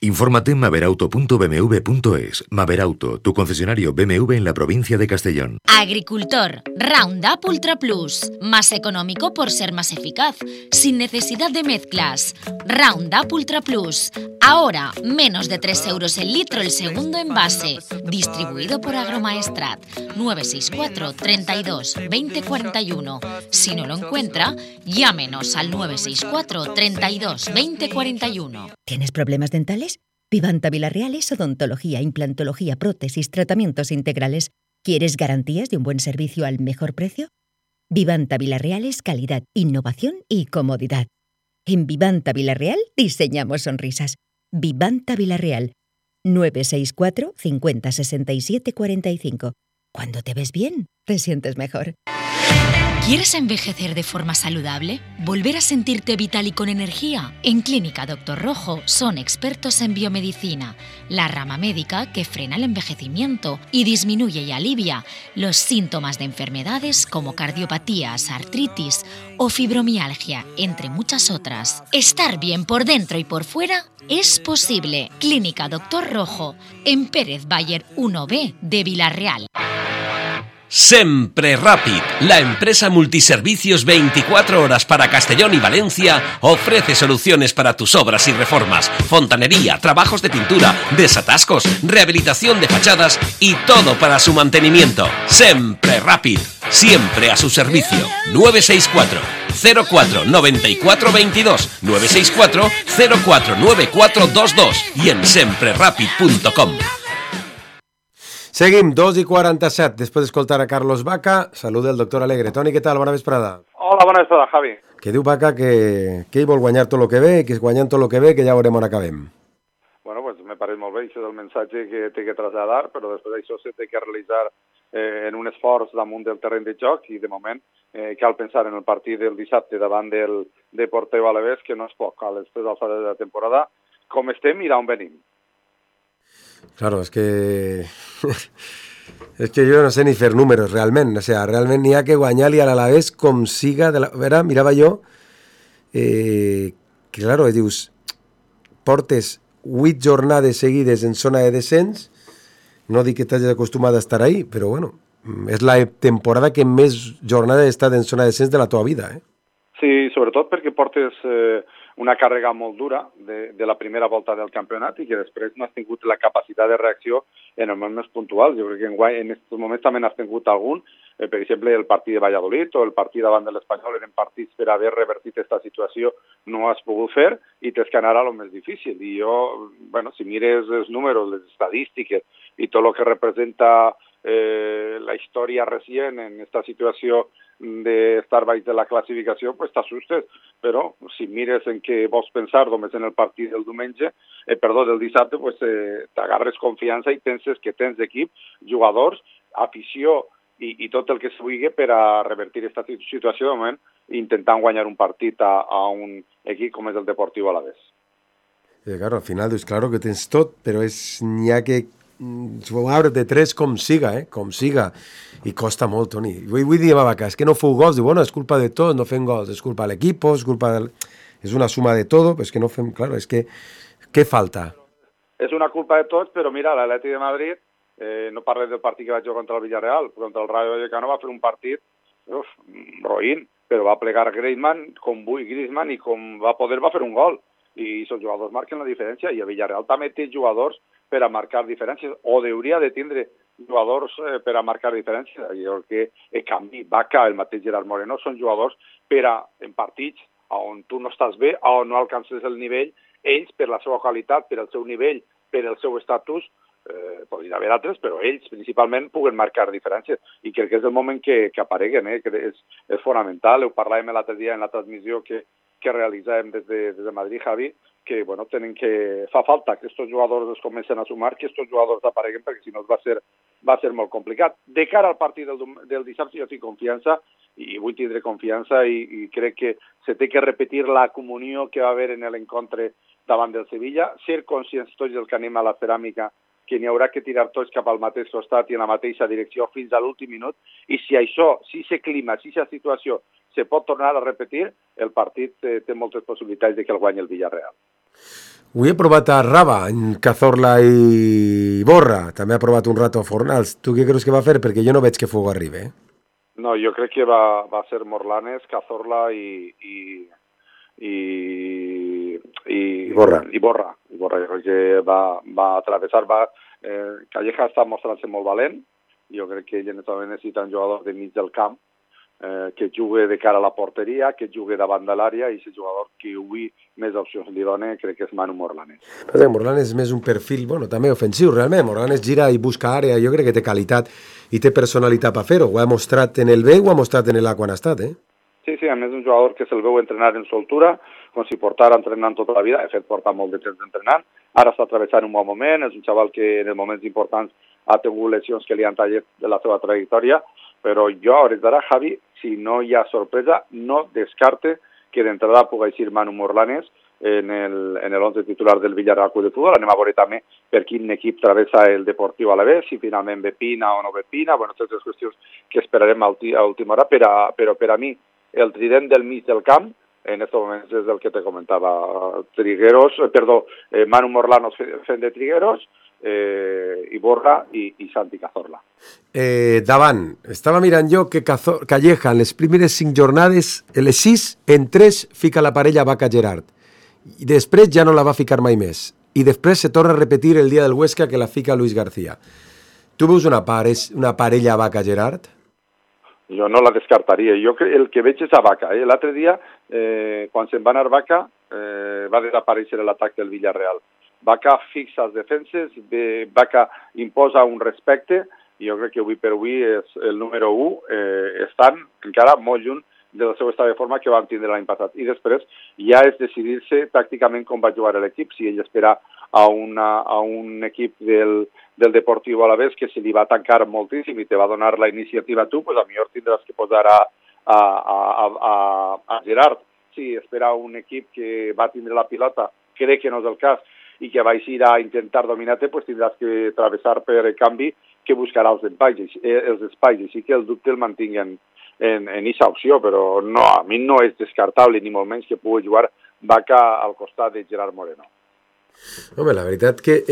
Speaker 20: Infórmate en maverauto.bmw.es. Maverauto, tu concesionario BMW en la provincia de Castellón.
Speaker 5: Agricultor, Roundup Ultra Plus. Más económico por ser más eficaz. Sin necesidad de mezclas. Roundup Ultra Plus. Ahora, menos de 3 euros el litro el segundo envase. Distribuido por Agromaestrat. 964 32 20 41. Si no lo encuentra, llámenos al 964 32 20 41.
Speaker 21: ¿Tienes problemas dentales? Vivanta Vila-real es odontología, implantología, prótesis, tratamientos integrales. ¿Quieres garantías de un buen servicio al mejor precio? Vivanta Vila-real es calidad, innovación y comodidad. En Vivanta Vila-real diseñamos sonrisas. Vivanta Vila-real, 964 50 67 45. Cuando te ves bien, te sientes mejor.
Speaker 5: ¿Quieres envejecer de forma saludable? ¿Volver a sentirte vital y con energía? En Clínica Doctor Rojo son expertos en biomedicina, la rama médica que frena el envejecimiento y disminuye y alivia los síntomas de enfermedades como cardiopatías, artritis o fibromialgia, entre muchas otras. Estar bien por dentro y por fuera es posible. Clínica Doctor Rojo, en Pérez Bayer 1B de Vila-real.
Speaker 14: Sempre Rapid, la empresa multiservicios 24 horas para Castellón y Valencia, ofrece soluciones para tus obras y reformas, fontanería, trabajos de pintura, desatascos, rehabilitación de fachadas y todo para su mantenimiento. Sempre Rapid, siempre a su servicio. 964 04 94 22 964 04 9422 y en semprerapid.com.
Speaker 7: Seguim, 2:47, després d'escoltar a Carlos Baca. Saluda el doctor Alegre. Toni, què tal? Bona vesprada.
Speaker 22: Hola, bona vesprada, Javi.
Speaker 7: Que diu Baca que ell vol guanyar tot el que ve, que guanyant tot el que ve, que ja veurem on acabem.
Speaker 22: Bueno, pues me pareix molt bé, això és el missatge que té que traslladar, però després d'això s'ha de realitzar en un esforç damunt del terreny de joc i de moment cal pensar en el partit del dissabte davant del Deportiu Alavés, que no és poc a les 3 alçades de la temporada, com estem i d'on venim.
Speaker 7: Claro, es que yo no sé ni fer números realment, o sea, realment n'hi ha que guanyar-li a l'Alavés com siga, mirava jo, que claro, dius, portes 8 jornades seguides en zona de descens, no dic que t'hagis acostumat a estar ahí, però bueno, és la temporada que més jornades he estat en zona de descens de la teva vida, eh?
Speaker 22: Sí, sobretot perquè portes una càrrega molt dura de la primera volta del campionat i que després no has tingut la capacitat de reacció en els moments puntuals. Jo crec que en aquests moments també n'has tingut algun, per exemple, el partit de Valladolid o el partit davant de l'Espanyol eren partits per haver revertit aquesta situació, no has pogut fer i tens que anar a lo més difícil. I jo, bueno, si mires els números, les estadístiques i tot el que representa la història recent en aquesta situació d'estar baix de la classificació, pues t'assustes, però si mires en què vols pensar només en el partit del del dissabte, pues t'agarres confiança i penses que tens equip, jugadors, afició i tot el que es vulgui per a revertir aquesta situació de moment, intentant guanyar un partit a un equip com és el Deportiu Alavés.
Speaker 7: Claro, al final dius, claro que tens tot, però n'hi ha que jugar de 3 com siga, com siga, i costa molt, Toni. Vull dir a Baca, és que no feu gols, diu, bueno, és culpa de tot, no fem gols, és culpa de l'equip, és una suma de tot, però és que no fem, claro, és que què falta?
Speaker 22: És una culpa de tots, però mira, l'Atleti de Madrid, no parles del partit que va jugar contra el Villarreal, contra el Rayo Vallecano va fer un partit roïn, però va plegar Griezmann i com va poder va fer un gol, i els jugadors marquen la diferència, i el Villarreal també té jugadors per a marcar diferències, o hauria de tindre jugadors per a marcar diferència. Jo crec que el canvi, Vaca, el mateix Gerard Moreno, són jugadors per a, en partits on tu no estàs bé, on no alcances el nivell, ells, per la seva qualitat, per el seu nivell, per el seu estatus, podrien haver altres, però ells principalment puguen marcar diferències. I crec que és el moment que apareguen, que és fonamental. Ho parlàvem l'altre dia en la transmissió que realitzàvem des de Madrid, Javi, que bueno, fa falta que aquests jugadors es comencen a sumar, que aquests jugadors apareguen, perquè si no va ser molt complicat. De cara al partit del dissabte jo tinc confiança, i vull tindre confiança, i crec que se té que repetir la comunió que va haver en l'encontre davant del Sevilla, ser conscients tots els que anem a la ceràmica que n'hi haurà que tirar tots cap al mateix costat i en la mateixa direcció fins a l'últim minut, i si això, si aquest clima, si aquesta situació se pot tornar a repetir, el partit té moltes possibilitats de que el guanyi el Villarreal.
Speaker 7: Avui he provat a Raba, en Cazorla i Borra. També ha provat un rato a Fornals. Tu què creus que va fer? Perquè jo no veig que Fuego arribi,
Speaker 22: No, jo crec que va ser Morlanes, Cazorla i
Speaker 7: Borra.
Speaker 22: I Borra. Jo crec que va atravessar. Calleja està mostrant-se molt valent. Jo crec que ell també necessita un jugador de mig del camp que jugui de cara a la porteria, que jugui davant de l'àrea, i aquest jugador que avui més opcions li dona crec que és Manu Morlanes.
Speaker 7: Morlanes és més un perfil, també ofensiu, realment. Morlanes gira i busca àrea, jo crec que té qualitat i té personalitat per fer-ho. Ho ha mostrat en el B, ho ha mostrat en l'A quan ha estat,
Speaker 22: Sí, a més un jugador que se'l veu entrenar en soltura, com si portara entrenant tota la vida, de fet porta molt de temps entrenant, ara està travessant un bon moment, és un xaval que en els moments importants ha tingut lesions que li han tallat de la seva trajectòria, però jo a hores d'ara, Javi, si no hi ha sorpresa, no descarte que d'entrada pugui eixir Manu Morlanes en el 11 titular del Villarreal Club de Futbol. Anem a veure també per quin equip travessa el Deportiu Alavés, si finalment ve Pina o no ve Pina, totes les qüestions que esperarem a última hora, però per a mi el trident del mig del camp, en aquests moments és el que te comentava, Manu Morlanes fent de Trigueros, i Borra i Santi Cazorla.
Speaker 7: Davant, estava mirant jo que Calleja en les primeres 5 jornades, les 6, en 3 fica la parella Vaca-Gerard, i després ja no la va ficar mai més, i després se torna a repetir el dia del Huesca que la fica Luis García. Tu veus una parella Vaca-Gerard?
Speaker 22: Jo no la descartaria. Jo el que veig és a Vaca. L'altre dia, quan se'n va anar Vaca, va desaparèixer l'atac del Villarreal. Vaca fixa els defenses, Vaca imposa un respecte, i jo crec que avui per avui és el número 1, estan encara molt lluny del seu estat de forma que van tindre l'any passat. I després ja és decidir-se tàcticament com va jugar l'equip, si ell espera a un equip del Deportiu Alavés que se li va tancar moltíssim i te va donar la iniciativa a tu, pues a millor tindràs que posar a Gerard. Si espera un equip que va tindre la pilota, crec que no és el cas, i que va eixir a intentar dominar-te, pues tindràs que travessar per el canvi que buscarà els espais, així que el dubte el mantinc en aquesta opció, però no, a mi no és descartable ni molt menys que pugui jugar Vaca al costat de Gerard Moreno.
Speaker 7: Home, la veritat que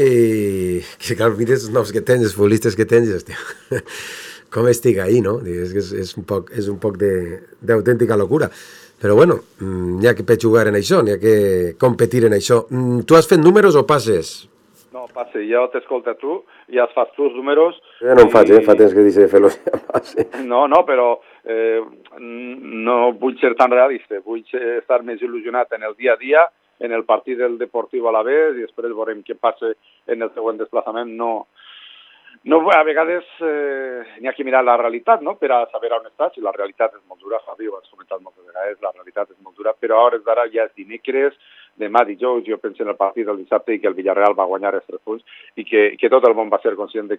Speaker 7: clar, mires els noms que tens, els futbolistes que tens, hòstia, com estic ahí, no? És un poc d'autèntica locura. Però bueno, n'hi ha que jugar en això, n'hi ha que competir en això. Tu has fet números o passes?
Speaker 22: No, passe, jo t'escolta tu, ja fas tu els números.
Speaker 7: Jo no em faig, fa temps que dice fer-los ja passe.
Speaker 22: No, però no vull ser tan realista, vull estar més il·lusionat en el dia a dia, en el partit del Deportiu Alavés, i després veurem què passa en el següent desplaçament. No, a vegades n'hi ha que mirar la realitat, no?, per a saber on estàs, i la realitat és molt dura, Javi, ho has comentat moltes vegades, la realitat és molt dura, però a hores d'ara ja és dimecres, demà dijous, jo penso en el partit del dissabte i que el Villarreal va guanyar els 3 punts i que tot el món va ser conscient de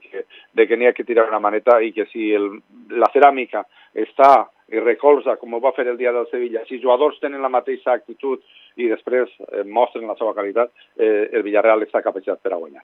Speaker 22: que n'hi ha que tirar una maneta i que si la ceràmica està i recolza, com ho va fer el dia del Sevilla, si els jugadors tenen la mateixa actitud i després mostren la seva qualitat, el Villarreal està capacitat per a guanyar.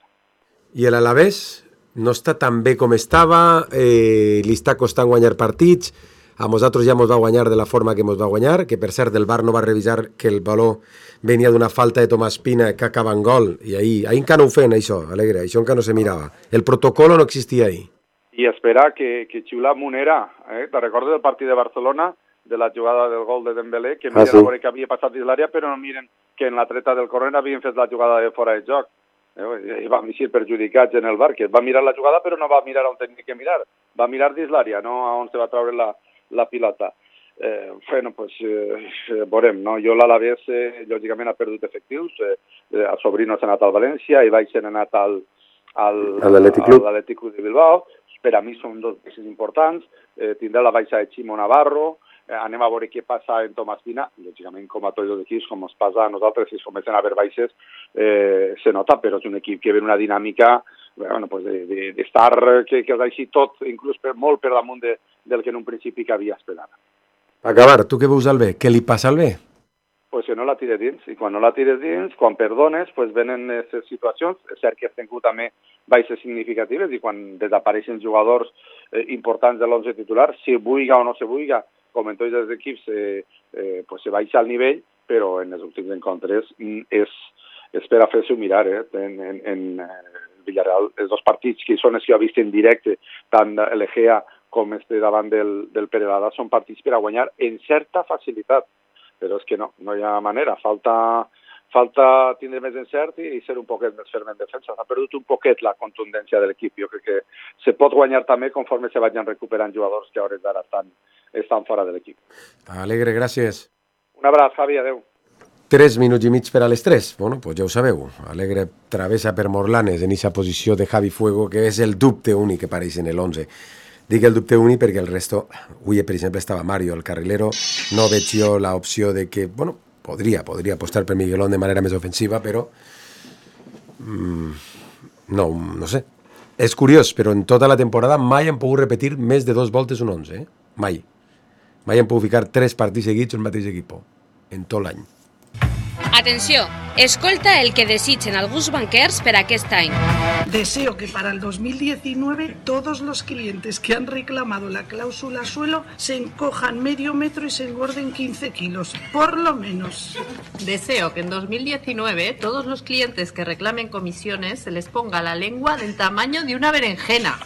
Speaker 7: I l'Alavés no està tan bé com estava, li està costant guanyar partits, a nosaltres ja ens va guanyar de la forma que ens va guanyar, que per cert el VAR no va revisar que el valor venia d'una falta de Tomàs Pina que acaba en gol, i ahir encara no ho feien això, Alegre, això encara no se mirava. El protocolo no existia ahir.
Speaker 22: I esperar que xiula Munera, te recordes del partit de Barcelona, de la jugada del gol de Dembélé, que miren a veure què havia passat dins l'àrea, però no miren que en la treta del corrent havien fet la jugada de fora de joc. I vam ser perjudicats en el bar, que va mirar la jugada però no va mirar on tenia que mirar, va mirar dins l'àrea, no a on se va treure la pilota. Veurem, no? Jo l'Alavés, lògicament, ha perdut efectius, el Sobrino s'ha anat al València, i Baix s'ha anat a l'Atlètic Club de Bilbao. Per a mi són dos peces importants, tindrà la baixa de Ximo Navarro, anem a veure què passa en Tomàs Pina, lògicament com a tots els equips, com ens passa a nosaltres, si es comencen a haver baixes, se nota, però és un equip que ve una dinàmica d'estar, que els així tot, inclús molt per damunt del que en un principi que havia esperat.
Speaker 7: Per acabar, tu què veus al B? Què li passa al B?
Speaker 22: Pues que no la tires dins, i quan no la tires dins, quan perdones, pues venen aquestes situacions. És cert que has tingut també baixes significatives, i quan desapareixen jugadors importants de l'11 titular, si vulga o no se vulga, com en tots els equips, se baixa el nivell, però en els últims encontres és per a fer-se-ho mirar. En Villarreal, els dos partits que són els que ha vist en directe, tant l'Egea com davant del Perelada, són partits per a guanyar en certa facilitat, però és que no hi ha manera, falta tindre més encert i ser un poquet més ferm en defensa. S'ha perdut un poquet la contundència de l'equip. Jo crec que se pot guanyar també conforme se vagin recuperant jugadors que a hores d'ara estan fora de l'equip.
Speaker 7: Alegre, gràcies.
Speaker 22: Un abraç, Javi, adeu.
Speaker 7: 3 minuts i mig per a les 3. Bueno, pues ja ho sabeu. Alegre travessa per Morlanes en aquesta posició de Javi Fuego, que és el dubte únic que apareix en l'11. Dic el dubte únic perquè el resto... Avui, per exemple, estava Mario, el carrilero. No veig jo l'opció de que... Bueno, podria apostar per Miguelón de manera més ofensiva, però... No sé. És curiós, però en tota la temporada mai han pogut repetir més de 2 voltes un 11, Mai. Mai han pogut ficar 3 partits seguits el mateix equip, en tot l'any.
Speaker 2: Atenció, escolta el que desitgen alguns banquers per aquest any.
Speaker 3: Deseo que para el 2019 todos los clientes que han reclamado la cláusula suelo se encojan medio metro y se engorden 15 kilos, por lo menos.
Speaker 23: Deseo que en 2019 todos los clientes que reclamen comisiones se les ponga la lengua del tamaño de una berenjena.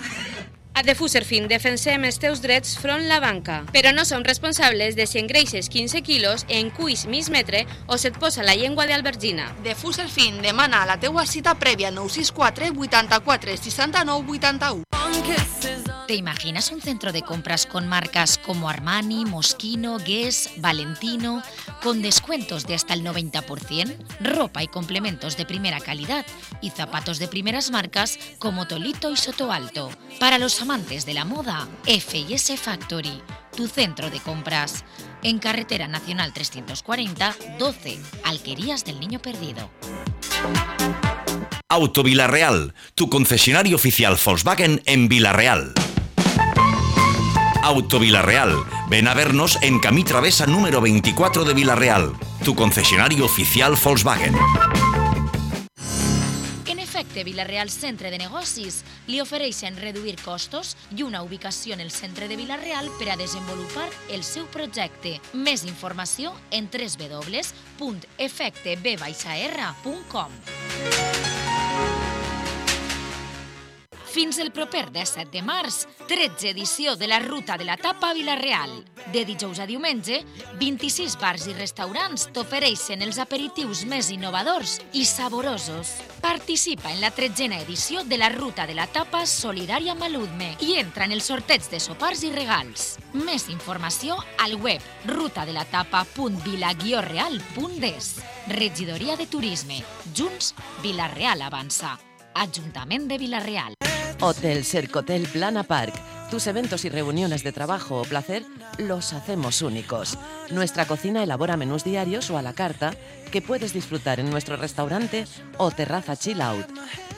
Speaker 2: A The Fuserfin defensem els teus drets front la banca, però no som responsables de si engreixes 15 quilos, en cuis mig metre o se't posa la llengua d'albergina.
Speaker 10: The Fuserfin demana la teua cita prèvia 964 84 69 81.
Speaker 5: ¿Te imaginas un centro de compras con marcas como Armani, Moschino, Guess, Valentino, con descuentos de hasta el 90%, ropa y complementos de primera calidad y zapatos de primeras marcas como Tolito y Soto Alto? Para los amantes de la moda, F&S Factory, tu centro de compras. En Carretera Nacional 340, 12, Alquerías del Niño Perdido.
Speaker 13: Auto Villarreal, tu concesionario oficial Volkswagen en Villarreal. Auto Villarreal, ven a vernos en Camí Travesa número 24 de Villarreal, tu concesionario oficial Volkswagen.
Speaker 5: En efecte, Villarreal Centre de Negocis li ofereixen reduir costos i una ubicació en el centre de Villarreal per a desenvolupar el seu projecte. Més informació en www.efecteb-r.com. Fins el proper 17 de març, 13 edició de la Ruta de la Tapa a Vila-real. De dijous a diumenge, 26 bars i restaurants t'ofereixen els aperitius més innovadors i saborosos. Participa en la 13a edició de la Ruta de la Tapa Solidària Maludme i entra en el sorteig de sopars i regals. Més informació al web rutadelatapa.vila-real.es. Regidoria de Turisme. Junts, Vila-real avança. Ajuntament de Vila-real.
Speaker 24: Hotel Sercotel Plana Park. Tus eventos y reuniones de trabajo o placer los hacemos únicos. Nuestra cocina elabora menús diarios o a la carta que puedes disfrutar en nuestro restaurante o terraza chill out.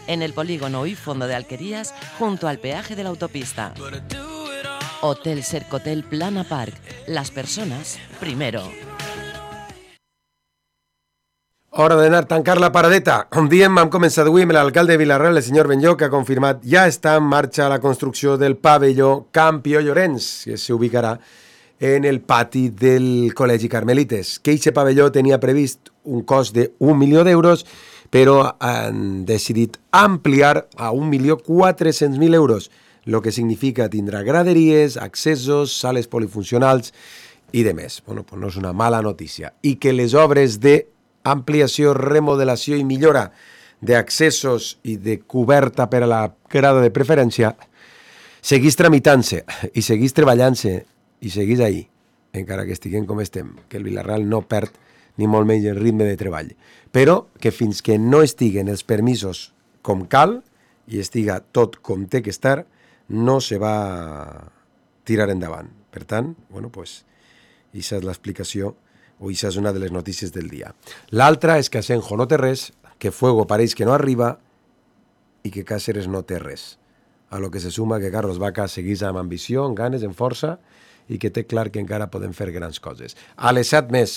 Speaker 24: En el polígono y fondo de Alquerías, junto al peaje de la autopista. Hotel Sercotel Plana Park. Las personas primero.
Speaker 7: Hora d'anar a tancar la paradeta. Com diem, hem començat avui amb l'alcalde de Vila-real, el senyor Benlló, que ha confirmat ja està en marxa la construcció del pavelló Campió Llorenç, que s'ubicarà en el pati del Col·legi Carmelites. Que aquest pavelló tenia previst un cost de 1 milió d'euros, però han decidit ampliar a 1.400.000 euros, el que significa tindrà graderies, accessos, sales polifuncionals i de més. Bueno, pues no és una mala notícia. I que les obres de ampliació, remodelació i millora d'accessos i de coberta per a la grada de preferència, seguís tramitant-se i seguís treballant-se i seguís ahí, encara que estiguem com estem, que el Villarreal no perd ni molt menys el ritme de treball, però que fins que no estiguen els permisos com cal i estiga tot com té que estar, no se va tirar endavant. Per tant, bueno, pues, això és l'explicació o això és una de les notícies del dia. L'altra és que Asenjo no té res, que Fuego pareix que no arriba i que Cáceres no té res. A lo que se suma que Carlos Vaca seguís amb ambició, amb ganes, amb força i que té clar que encara podem fer grans coses. A les 7 més